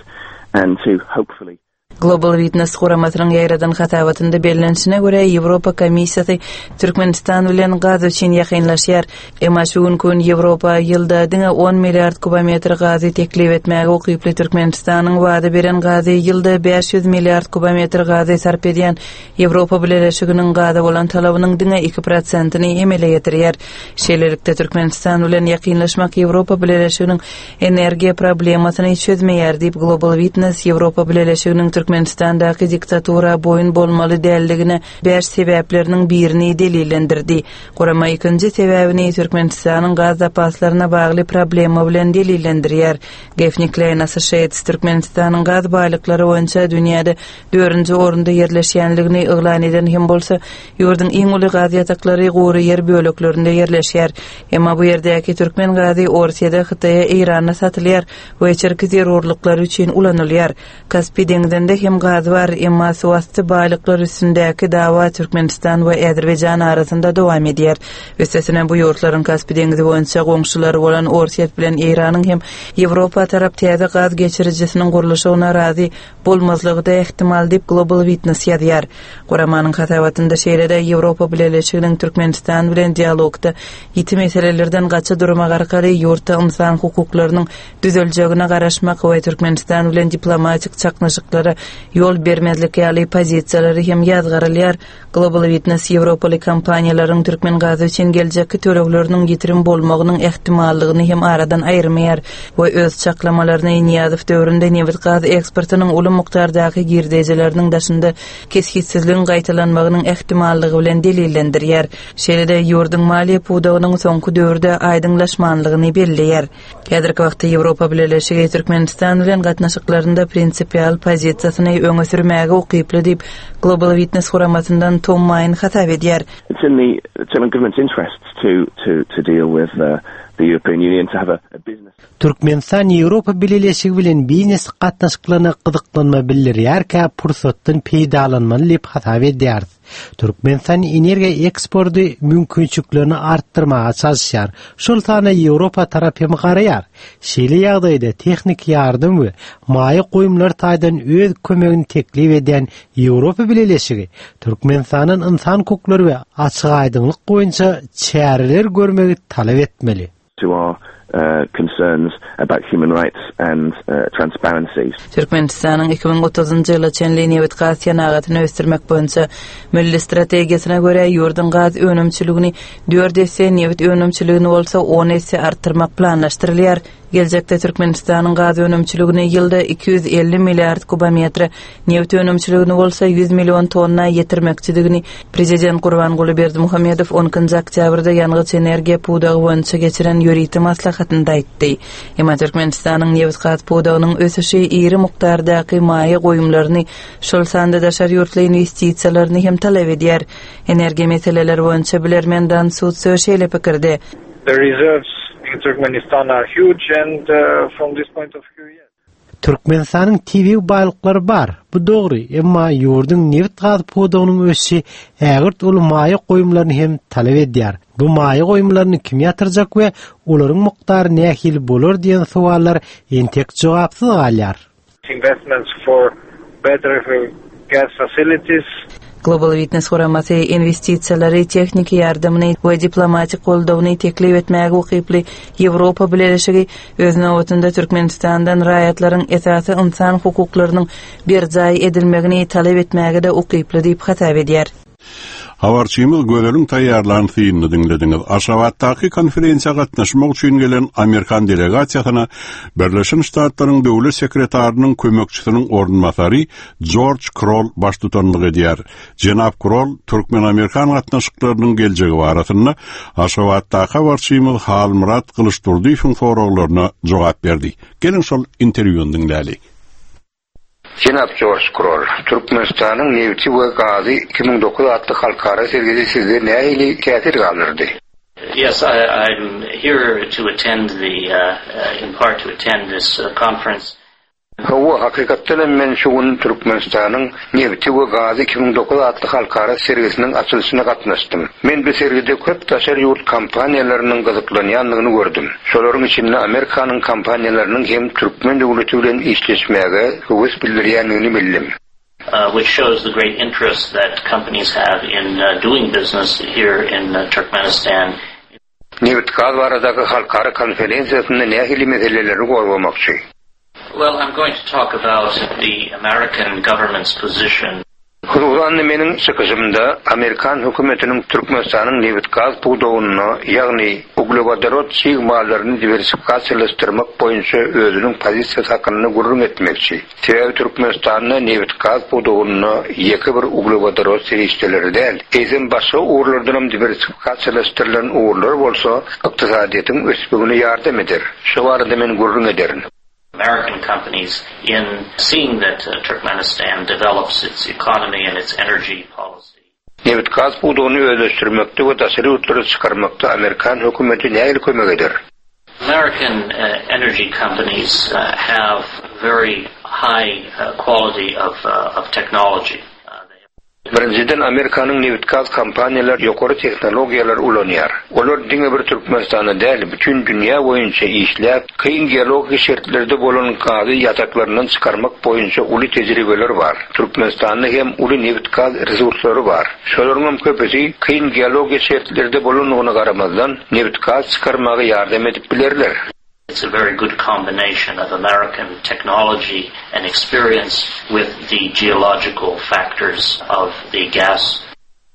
and to hopefully Global Witness guramasynyň ýaýradan hasabatynda bellenişine görä Ýewropa Komissiýasy Türkmenistan bilen gaz üçin ýakynlaşýar. Emma şu gün gün Ýewropa ýylda diňe on milliard kubometr gazy teklip etmäge ukyply Türkmenistanyň wada beren gazy ýylda bäş ýüz milliard kubometr gazy sarp edýän Ýewropa Bileleşiginiň gaza bolan talabynyň diňe iki prosentini emele getirýär. Şeýlelikde Türkmenistan bilen ýakynlaşmak Ýewropa Bileleşiginiň energiýa problemasyny çözmeýär diýip Global Witness Ýewropa Bileleşiginiň Türkmenistandaky diktatura boýun bolmaly däldigine bäş sebäpleriniň birini delillendirdi. Gurama ikinji sebäbini Türkmenistanyň gaz zapaslaryna bagly problema bilen delillendirýär. Gaffney Klein Associates Türkmenistanyň gaz baýlyklary boýunça dünýäde dördünji orunda ýerleşýänligini yglan eden hem bolsa, ýurduň iň uly gaz ýataklary gury ýer böleklerinde ýerleşýär. Emma bu ýerdäki türkmen gazy Orsiýada, Hytaýa, Eýranda satylýar we içerki zerurlyklary üçin ulanylýar. Kaspi deňzinde hem gazy bar, emma suwasty baýlyklar üstündäki dawa Türkmenistan we Azerbaýjan arasynda dowam edýär. Üstesine bu ýurtlaryň Kaspi deňizi boýunça goňşulary bolan Orsýet bilen Eýranyň hem Ýewropa tarap täze gaz geçirijisiniň gurluşygyna razy bolmazlygy-da ähtimal diýip Global Witness ýazýar. Guramanyň hasabatynda şeýle-de Ýewropa Bileleşiginiň Türkmenistan bilen dialogda ýiti meselelerden gaça durmak arkaly ýurtda ynsan hukuklarynyň düzeljegine garaşmak we Türkmenistan bilen diplomatik çaknyşyklara ýol bermezlik ýaly pozisiýalary hem ýazgarylýar. Global Witness Ýewropaly kompaniýalaryň türkmen gazy üçin geljekki tölegleriniň ýitirim bolmagynyň ähtimallygyny hem aradan aýyrmaýar we öz çaklamalaryny Nyýazow döwründe nebit gaz eksportynyň uly mukdardaky girdejileriniň daşynda kesgitsizligiň gaýtalanmagynyň ähtimallygy bilen delillendirýär. Şeýle-de ýurduň maliýe pudagynyň soňky döwürde aýdyňlaşmanlygyny belleýär. Häzirki wagtda Ýewropa Bileleşigi Türkmenistan bilen gatnaşyklarynda prinsipial pozisiýasyny öňe sürmäge ukyply diýip Global Witness guramasyndan Tom Main hasap edýär. It's in the German government's interests to to to deal with uh, the European Union to have a, a business Türkmenistan Ýewropa Bileleşigi bilen biznes gatnaşyklaryna gyzyklanma bildirýärkä pursatdan peýdalanmaly diýip hasap edýäris. Türkmenistan energiýa eksporty mümkinçiliklerini artdyrmaga çalyşýar. Şol sanda Ýewropa tarap hem garaýar. Şeýle ýagdaýda tehniki ýardam we maýa goýumlar taýdan öz kömegini teklip edýän Ýewropa Bileleşigi Türkmenistanyň ynsan hukuklary we açyk aýdyňlyk boýunça çäreler görmegi talap etmeli. to our uh, concerns about human rights and uh, transparency. Türkmenistanyň iki müň otuzynjy ýyla çenli nebit gaz senagatyny ösdürmek boýunça milli strategiýasyna görä ýurduň gaz önümçiligini dört esse, nebit önümçiligini bolsa on esse artdyrmak planlaşdyrylýar. Geljekde Türkmenistanyň gaz önümçiligini ýylda iki ýüz elli milliard kubometre, nebit önümçiligini bolsa ýüz million tonna ýetirmekçidigini Prezident Gurbanguly Berdimuhamedow on ikinji oktýabrda ýangyç energiýa pudagy boýunça geçiren ýörite maslahatynda aýtdy. Emma Türkmenistanyň nebit gaz pudagynyň ösüşi iri mukdardaky maýa goýumlaryny, şol sanda daşary ýurtly investisiýalaryny hem talap edýär. Energiýa meseleleri boýunça bilermen Dan Sutso şeýle pikirde. The reserves in Turkmenistan are huge and, uh, from this point of view, yes. Türkmenistanyň tebigy baýlyklary bar. Bu dogry, emma ýurduň nebit gaz pudagynyň ösüşi ägirt uly maýa goýumlaryny hem talap edýär. Bu maýa goýumlaryny kim ýatyrjak we olaryň mukdary nähili bolar diýen sowallar entek jogapsyz galýar. Investments for better gas facilities. Global Witness guramasy investisiýalary, tehniki ýardamyny we diplomatik goldawyny teklip etmäge ukyply Ýewropa Bileleşigi öz nobatynda Türkmenistandan raýatlaryň esasy ynsan hukuklarynyň berjaý edilmegini talap etmäge-de ukyply diýip hasap edýär. Habarçymyz Gözeliň taýýarlan synyny diňlediňiz. Aşgabatdaky konferensiýa gatnaşmak üçin gelen Amerikan delegasiýasyna Birleşen Ştatlaryň Döwlet sekretarynyň kömekçisiniň orunbasary Jorj Kroll baştutanlyk edýär. Jenap Kroll Türkmen-Amerikan gatnaşyklarynyň geljegi barasynda Aşgabatdaky habarçymyz Halmyrat Gylyçdurdyýewiň soraglaryna jogap berdi. Geliň şol interwýuny diňläli. Jenap Jorj Kroll, Türkmenistanyň nebiti we gazy iki müň dokuz atly halkara sergisi sizde nähili täsir galdyrdy? Yes, I, I'm here to attend the, uh, uh, in part to attend this, uh, conference. Hawa, hakykatdan hem men şu gün Türkmenistanyň nebiti we gazy iki müň dokuz atly halkara sergisiniň açylyşyna gatnaşdym. Men bu sergide köp daşary ýurt kompaniýalarynyň gyzyklanýandygyny gördüm. Şolaryň içinde Amerikanyň kompaniýalarynyň hem türkmen döwleti bilen işleşmäge höwes bildirýändigini bildim. Uh, which shows the great interest that companies have in, uh, doing business here in, uh, Turkmenistan. Nebit gaz baradaky halkara konferensiýasynda nähili meseleleri gozgamakçy? Well, I'm going to talk about the American government's position. Hususan meniň çykyşymda Amerikan hökümetiniň Türkmenistanyň nebit gaz pudagyna, ýagny uglewodorod çig mallaryny diwersifikasiýalaşdyrmak boýunça özüniň pozisiýasy hakynda gürrüň etmekçi. Sebäbi Türkmenistanda nebit gaz pudagyna ýeke bir uglewodorod serişdeleri däl, eýsem başga ugurlardan hem diwersifikasiýalaşdyrylan ugurlar bolsa ykdysadyýetiň ösmegine ýardam eder. Şu barada men gürrüň ederin. American companies in seeing that, uh, Turkmenistan develops its economy and its energy policy. Nebit gaz pudagyny özleşdirmekde we daşary ýurtlara çykarmakda Amerikan hökümeti nähili kömek eder? American, uh, energy companies, uh, have very high uh, quality of, uh, of technology. Birinjiden Amerikanyň nebit-gaz kompaniýalary ýokary tehnologiýalar ulanýar. Olar diňe bir Türkmenistanda däl, bütün dünýä boýunça işläp, kyn geologik şertlerde bolan gazy ýataklaryndan çykarmak boýunça uly tejribeler bar. Türkmenistanda hem uly nebit-gaz resurslary bar. Şolaryň hem köpüsi kyn geologik şertlerde bolandygyna garamazdan nebit-gaz çykarmaga ýardam edip bilerler. It's a very good combination of American technology and experience with the geological factors of the gas.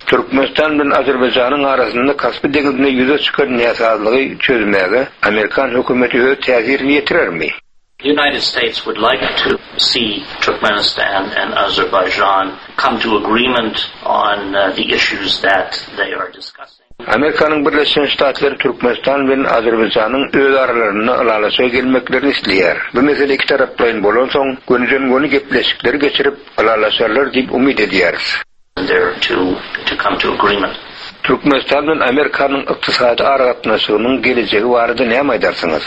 Türkmenistan bilen Azerbaýjanyň arasynda Kaspi deňizinde ýüze çykan näsazlygy çözmäge Amerikan hökümeti öz täsirini ýetirermi? The United States would like to see Turkmenistan and Azerbaijan come to agreement on uh, the issues that they are discussing. Amerikanyň Birleşen Ştatlary Türkmenistan bilen Azerbaýjanyň öz aralarynda ylalaşyga gelmeklerini isleýär. Bu mesele iki taraplaýyn bolansoň, gönüden-göni gepleşikleri geçirip ylalaşarlar diýip umyt edýäris. There to to come to agreement. Türkmenistan bilen Amerikanyň ykdysady aragatnaşygynyň gelejegi barada näme aýdarsyňyz?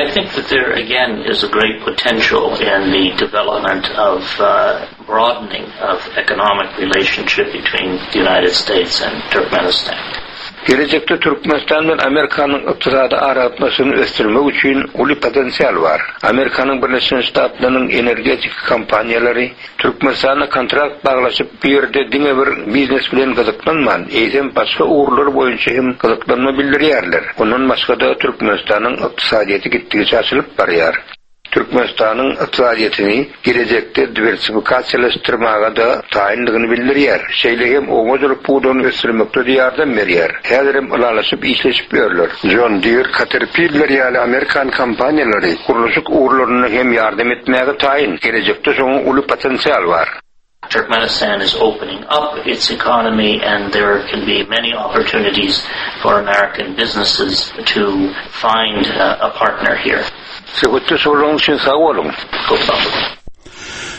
I think that there again is a great potential in the development of uh, broadening of economic relationship between the United States and Turkmenistan. Gelejekde Türkmenistan bilen Amerikanyň ykdysady aragatnaşygyny ösdürmek üçin uly potensial bar. Amerikanyň Birleşen Ştatlarynyň energetik kompaniýalary Türkmenistanda kontrakt baglaşyp bu ýerde diňe bir biznes bilen gyzyklanman, eýsem başga ugurlar boýunça hem gyzyklanma bildirýärler. Ondan başga-da Türkmenistanyň ykdysadyýeti gitdigiçe açylyp barýar. Türkmenistanyň ykdysadyýetini gelejekde diwersifikasiýalaşdyrmaga-da taýynlygyny bildirýär. Şeýle hem oba hojalyk pudagyny ösdürmekde ýardam berýär. Häzir hem ylalaşyp işleşip ýörler. John Deere, Caterpillar ýaly Amerikan kompaniýalary gurluşyk ugurlarynda hem ýardam etmäge taýyn. Gelejekde şonuň uly potensial bar. Turkmenistan is opening up its economy and there can be many opportunities for American businesses to find uh, a partner here. Söhbetdeş bolanyňyz üçin sag boluň.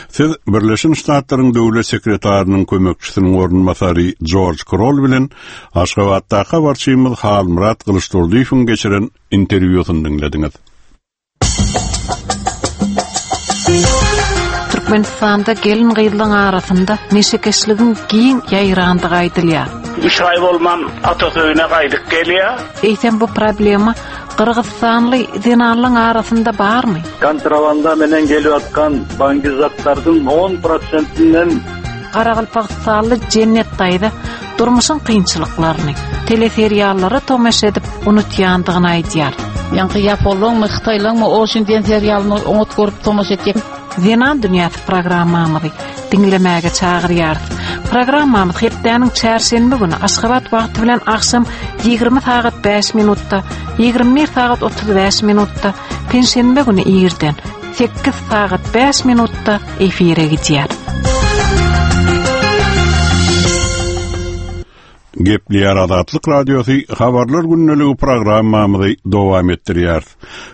Siz Birleşen Ştatlaryň Döwlet sekretarynyň kömekçisiniň orunbasary George Kroll bilen Aşgabatdaky habarçymyz Halmyrat Gylyçdurdyýewiň geçiren interwýusyny diňlediňiz. Türkmenistanda gelin gyzlaryň arasynda neşekeşligiň giň ýaýrandygy aýdylýar. Üç aý bolman atasy öýüne gaýdyp gelýär. Eýsem bu problema Gyrgyzystanly zenanlaryň arasynda barmy? Kontrabanda menen gelip atkan bangizatlardyň on prosentinden Garagalpagystanly Jennet daýza durmuşyň kynçylyklaryny teleseriallara tomaşa edip unutýandygyny aýdýar. Ýaňky ýaponlaryňmy, hytaýlaryňmy o şinden serialyny oňat görüp tomaşa etjek. Zenan dünýäsi programmamyzy diňlemäge çagyrýarys. Programmamyz hepdäniň çarşenbe güni Aşgabat wagty bilen agşam ýigrimi sagat bäş minutda, ýigrimi bir sagat otuz bäş minutda, penşenbe güni irden sekiz sagat bäş minutda efire gidýär. Gepleýär Azatlyk Radiosy habarlar gündeligi programmamyzy dowam etdirýär.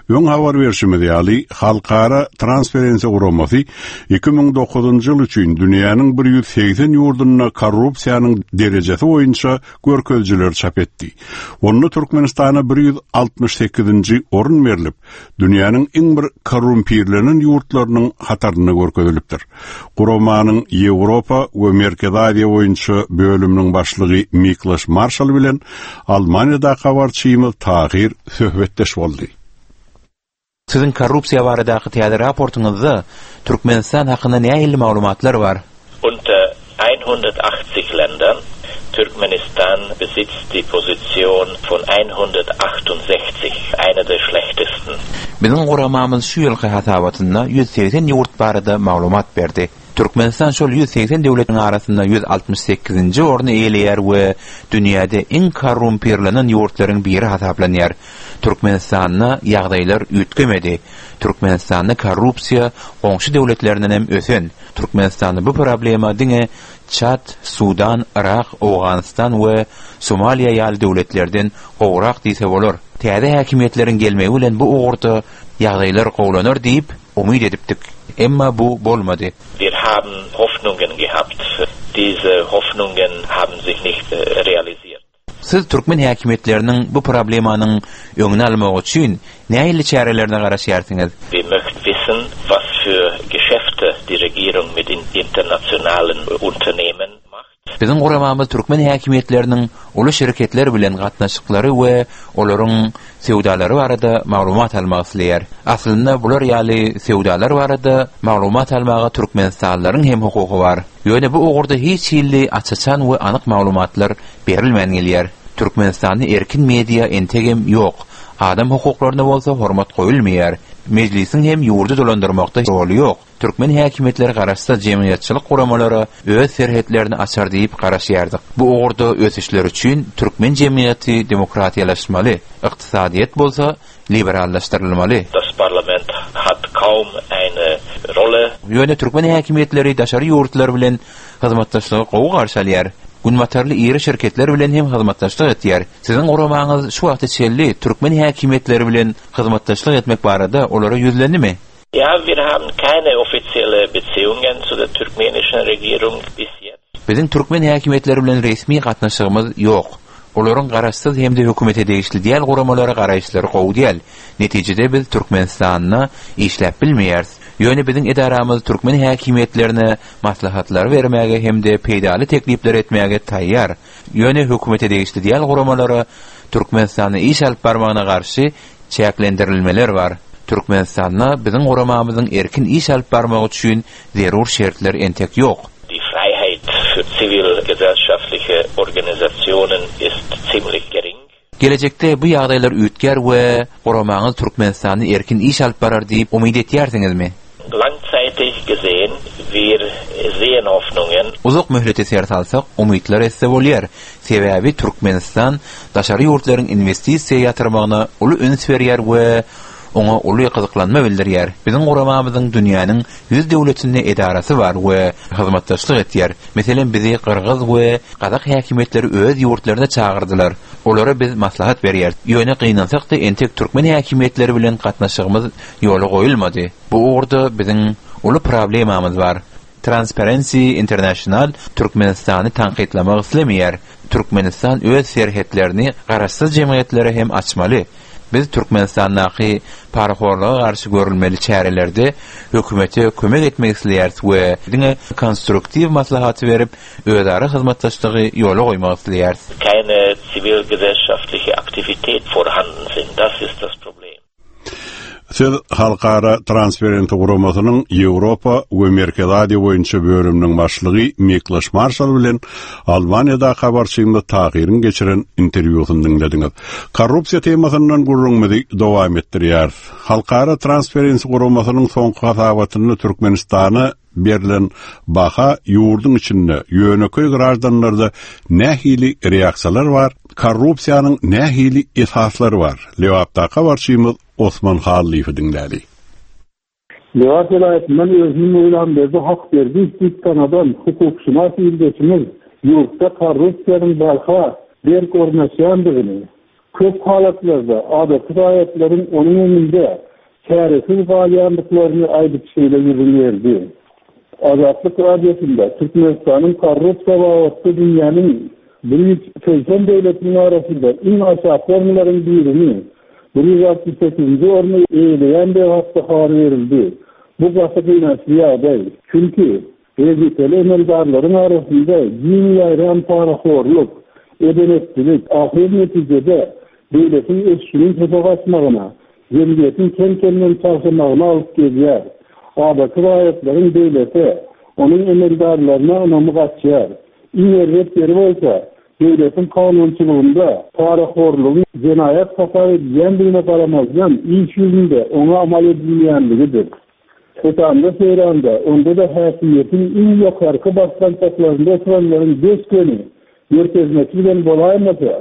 Öň habar berşimiz ýaly, Halkara Transparency guramasy iki müň dokuzynjy ýyl üçin dünýäniň bir ýüz segsen ýurdunda korrupsiýanyň derejesi boýunça görkezijiler çap etdi. Onda Türkmenistana bir ýüz altmyş sekizinji orun berlip, dünýäniň iň bir korrumpirlenen ýurtlarynyň hatarynda görkezilipdir. Guramanyň Ýewropa we Merkezi Aziýa boýunça bölüminiň başlygy Miklas Marşal bilen Almaniýada habarçymyz Tahir söhbetdeş boldy. Siziň korrupsiýa baradaky täze raportyňyzda Türkmenistan hakynda nähili maglumatlar bar? Unter hundertachtzig Ländern Türkmenistan besitzt die Position von hundertachtundsechzig, einer der schlechtesten. Biziň guramamyz şu ýylky hasabatynda ýüz segsen ýurt barada maglumat berdi. Türkmenistan şol ýüz segsen döwletiň arasynda ýüz altmyş sekizinji orny eýeleýär we dünýäde iň korrumpirlenen ýurtlaryň biri hasaplanýar. Türkmenistanda ýagdaýlar üýtgemedi. Türkmenistanda korrupsiýa goňşy döwletlerinden hem ösen. Türkmenistanda bu problema diňe Çad, Sudan, Irak, Owganystan we Somaliýa ýaly döwletlerden gowrak diýse bolar. Täze häkimiýetleriň gelmegi bilen bu ugurda ýagdaýlar gowlanar diýip umyt edipdik. Emma bu bolmady. Wir haben Hoffnungen gehabt. Diese Hoffnungen haben sich nicht realisiert. Siz türkmen häkimiýetleriniň bu problemanyň öňüni almak üçin nähili çärelerine garaşýarsyňyz? Wir möchten wissen, was für Geschäfte Regierung mit internationalen Unternehmen macht. Biziň guramamyz türkmen häkimiýetleriniň uly şirketler bilen gatnaşyklary we olaryň söwdalary barada maglumat almak isleýär. Aslynda bular ýaly söwdalar barada maglumat almaga Türkmenistanlylaryň hem hukugy bar. Ýöne bu ugurda hiç hili aç-açan we anyk maglumatlar berilmän gelýär. Türkmenistanda erkin media entegem ýok. Adam hukuklaryna bolsa hormat goýulmaýar. Mejlisiň hem ýurdy dolandyrmakda roly ýok. Türkmen häkimiýetleri garaşsyz jemgyýetçilik guramalara öz serhetlerini açar diýip garaşýardyk. Bu ugurda ösüşler üçin türkmen jemgyýeti demokratiýalaşmaly, ykdysadyýet bolsa liberallaşdyrylmaly. Das Parlament hat kaum eine Rolle. Ýöne türkmen häkimiýetleri daşary ýurtlar bilen hyzmatdaşlygy gowy garşy alýar. Günbatarly iri şirketler bilen hem hyzmatdaşlyk etýär. Siziň guramaňyz şu wagta çenli türkmen häkimiýetleri bilen hyzmatdaşlyk etmek barada olara ýüzlendimi? Ja, wir haben keine offizielle Beziehungen zu der turkmenischen Regierung bis jetzt. Biziň türkmen häkimiýetleri bilen resmi gatnaşygymyz ýok. Olaryň garaşsyz hem-de hökümete degişli däl guramalara garaýyşlary gowy däl. Netijede biz Türkmenistanda işläp bilmeýäris. Ýöne biziň edaramyz türkmen häkimiýetlerine maslahatlar bermäge hem-de peýdaly teklipler etmäge taýýar. Ýöne hökümete degişli däl guramalara Türkmenistanda iş alyp barmagyna garşy çäklendirilmeler bar. Türkmenistanda biziň guramamyzyň erkin iş alyp barmagy üçin zerur şertler entek ýok. Die Freiheit für zivilgesellschaftliche Organisationen ist ziemlich gering. Gelejekde bu ýagdaýlar üýtgär we guramaňyz Türkmenistanda erkin iş alyp barar diýip umyt etýärsiňizmi? Langzeitig gesehen, wir sehen Hoffnungen. Uzak möhlete ser salsak, umytlar etse bolýar. Sebäbi Türkmenistan daşary ýurtlaryň investisiýa ýatyrmagyna uly üns berýär we oňa uly gyzyklanma bildirýär. Biziň guramamyzyň dünýäniň ýüz döwletinde edarasy bar we hyzmatdaşlyk etýär. Meselem, bizi Gyrgyz we Gazak häkimiýetleri öz ýurtlaryna çagyrdylar. Olara biz maslahat berýär. Ýöne gynansak-da entek türkmen häkimiýetleri bilen gatnaşygymyz ýola goýulmady. Bu ugurda biziň uly problemamyz bar. Transparency International Türkmenistany tankytlamak islemeýär. Türkmenistan öz serhetlerini garaşsyz jemgyýetlere hem açmaly. Biz Türkmenistandaky parahorluga garşy görülmeli çärelerde hökümete kömek etmek isleýäris we diňe konstruktiw maslahaty berip özara hyzmatdaşlygy ýola goýmak isleýäris. Keine zivilgesellschaftliche Aktivität vorhanden sind. Das ist das Problem. Siz Halkara Transparency guramasynyň Ýewropa we Merkezi Aziýa boýunça bölüminiň başlygy Miklas Marşal bilen Almaniýada habarçymyz Tahyryň geçiren interwýusyny diňlediňiz. Korrupsiýa temasyndan gürrüňimizi dowam etdirýäris. Halkara Transparency guramasynyň soňky hasabatynda Türkmenistana berlen baha ýurduň içinde ýönekeý graždanlarda nähili reaksiýalar bar, korrupsiýanyň nähili esaslary bar. Lebapda habarçymyz Osman Hallyýewi diňläli. Lebap welaýatyndan özüni Möwlamberdi Hakberdi diýip tanadan hukukşynas ildeşimiz ýurtda korrupsiýanyň barha berk ornaşýandygyny, köp halatlarda adaty raýatlaryň onuň öňünde çäresiz galýandyklaryny aýdyp şeýle gürrüň berdi. Azatlyk radiosynda Türkmenistanyň korrupsiýa babatda dünýäniň bir ýüz seksen döwletiniň arasynda iň aşaky orunlaryň birini bir ýüz altmyş sekizinji orny eýeleýändigi hakda habar berildi. Bu gaty gynançly ýagdaý. Çünki wezipeli emeldarlaryň arasynda giň ýaýran parahorluk, edenetçilik ahyr netijede döwletiň ösüşiniň pese gaçmagyna, jemgyýetiň kem-kemden çagşamagyna alyp gelýär. Adaty raýatlaryň döwlete, onuň emeldarlaryna ynamy gaçýar. Iň erbet ýeri bolsa, döwletiň kanunçylygynda parahorlugyň jenaýat hasap edilýändigine garamazdan iş ýüzünde oňa amal edilmeýänligidir. Setanda seýranda, onda-da häkimiýetiň iň ýokarky basgançaklarynda oturanlaryň beş göni görkezmesi bilen bolaýmasa,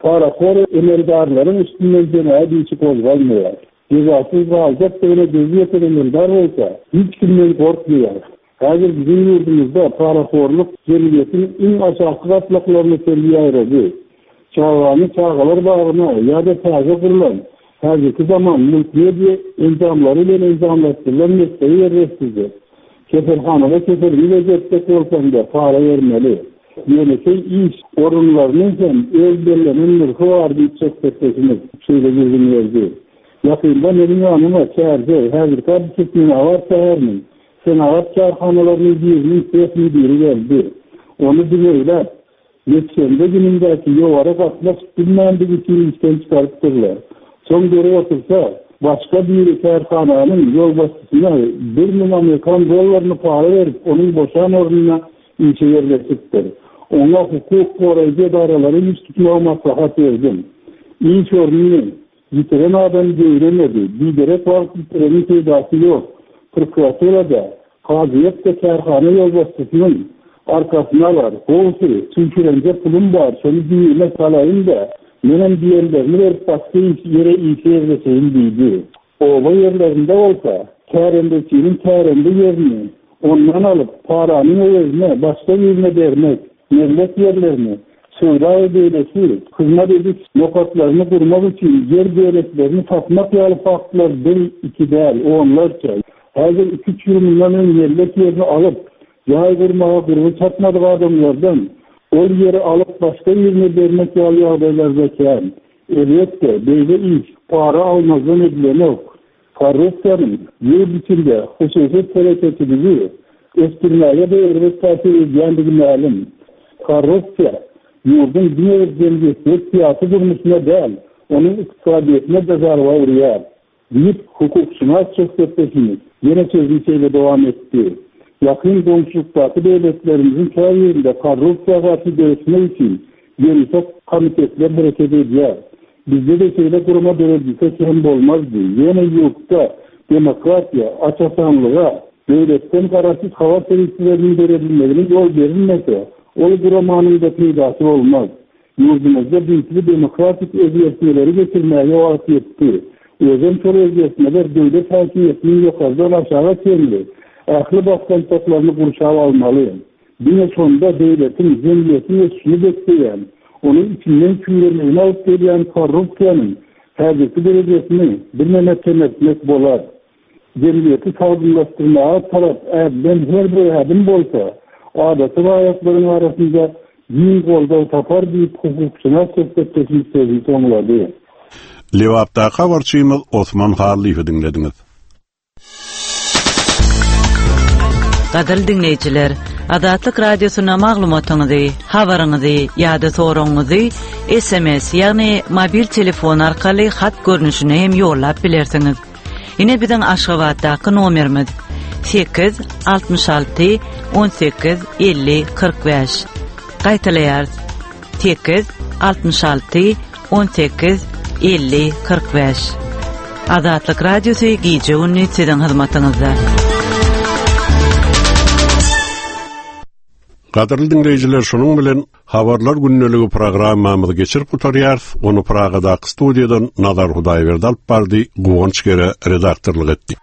parahor emeldarlaryň üstünden jenaýat işi gozgalmaýar. Jezasyz galjakdygyna gözi ýeten emeldar bolsa, hiç kimden gorkmaýar. Häzir biziň ýurdumyzda parahorluk jemgyýetiň iň aşaky gatlaklaryna çenli ýaýrady. Çagany çagalar bagyna ýa-da täze gurlan häzirki zaman multimedia enjamlary bilen enjamlaşdyrylan mekdebe ýerleşdirildi. Keselhanada keselini bejertjek bolsaň-da para bermeli. Ýönekeý iş orunlarynyň hem öz bellenen nyrhy bar diýip söhbetdeşimiz şeýle gürrüň berdi. Ýakynda meniň ýanyma Çärjew, häzirki Türkmenabat şäheriniň Senagat kärhanalarynyň biriniň seh müdiri geldi. Ony diňeýläp, ýekşenbe günündäki ýowara gatnaşyp bilmändigi üçin işden çykarypdyrlar. Soň görüp otursa, başga biri kärhananyň ýolbaşçysyna bir müň amerikan dollaryny para berip, onuň boşan ornuna işe ýerleşipdir. Oňa hukuk goraýjy edaralara ýüz tutmagy maslahat berdim. Iş ornuny ýitiren adam göwremedi, biderek wagt ýitireniň peýdasy ýok. Prokuratura-da, kazyýet-de kärhana ýolbaşçysynyň arkasyny alar. Gowusy, çüýşürenje pulum bar, şony jübime salaýyn-da, menem diýenlerini berip başga ýere işe ýerleşeýin diýdi. Oba ýerlerinde bolsa, kärendeçiniň kärende ýerini ondan alyp, paranyň öwezine başga birine bermek, mellek ýerlerini, söwda we beýleki hyzmat ediş nokatlaryny gurmak üçin ýer böleklerini satmak ýaly faktlar bir, iki däl, onlarça. Häzir iki-üç ýyl mundan öň mellek ýerini alyp, jaý gurmaga gurby çatmadyk adamlardan ol ýeri alyp başga birine bermek ýaly ýagdaýlar-da kän. Elbetde, beýle iş para almazdan edilenok. Korrupsiýanyň ýurt içinde hususy telekeçiligi ösdürmäge-de erbet täsir edýändigi mälim. Korrupsiýa ýurduň diňe bir jemgyýetçilik-syýasy durmuşyna däl, onuň ykdysadyýetine-de zarba urýar, diýip, hukukşynas söhbetdeşimiz ýene sözüni şeýle dowam etdi, Ýakyn goňşulykdaky döwletlerimiziň käbirinde korrupsiýa garşy göreşmek üçin ýörite komitetler hereket edýär. Bizde-de şeýle gurama döredilse kem bolmazdy. Ýöne ýurtda demokratiýa, aç-açanlyga, döwletden garaşsyz habar serişdeleriniň döredilmegine ýol berilmese, ol guramanyň-da peýdasy bolmaz. Ýurdumyzda düýpli demokratik özgertmeleri geçirmäge wagt ýetdi. Özem şol özgertmeler döwlet häkimiýetiniň ýokardan aşaga çenli ähli basgançaklaryny gurşap almaly. Diňe şonda döwletiň, jemgyýetiň ösüşini bökdeýän, onuň içinden çüýremegine alyp gelýän korrupsiýanyň häzirki derejesini birneme kemeltmek bolar. Jemgyýeti sagdynlaşdyrmaga tarap ädilen her bir ädim bolsa, adaty raýatlaryň arasynda giň goldaw tapar diýip, hukukşynas söhbetdeşimiz sözüni soňlady. Lebapdaky habarçymyz Osman Hallyýewi diňlediňiz. Gadyrly diňleýjiler, Azatlyk Radiosyna maglumatyňyzy, habaryňyzy ýa-da soragyňyzy S M S, ýagny mobil telefon arkaly hat görnüşinde hem ýollap bilersiňiz. Ine biziň Aşgabatdaky nomerimiz: sekiz altmyş alty on sekiz elli kyrk bäş. Gaýtalaýarys: sekiz altmyş alty on sekiz elli kyrk bäş. Azatlyk Radiosy gije gündüz siziň hyzmatyňyzda. Gadyrly diňleýjiler, şunuň bilen Habarlar gündeligi programmamyzy geçirip gutarýarys. Ony Pragadaky studiýadan Nazar Hudaýberdi alyp bardy, Guwanç Gere redaktorlyk etdi.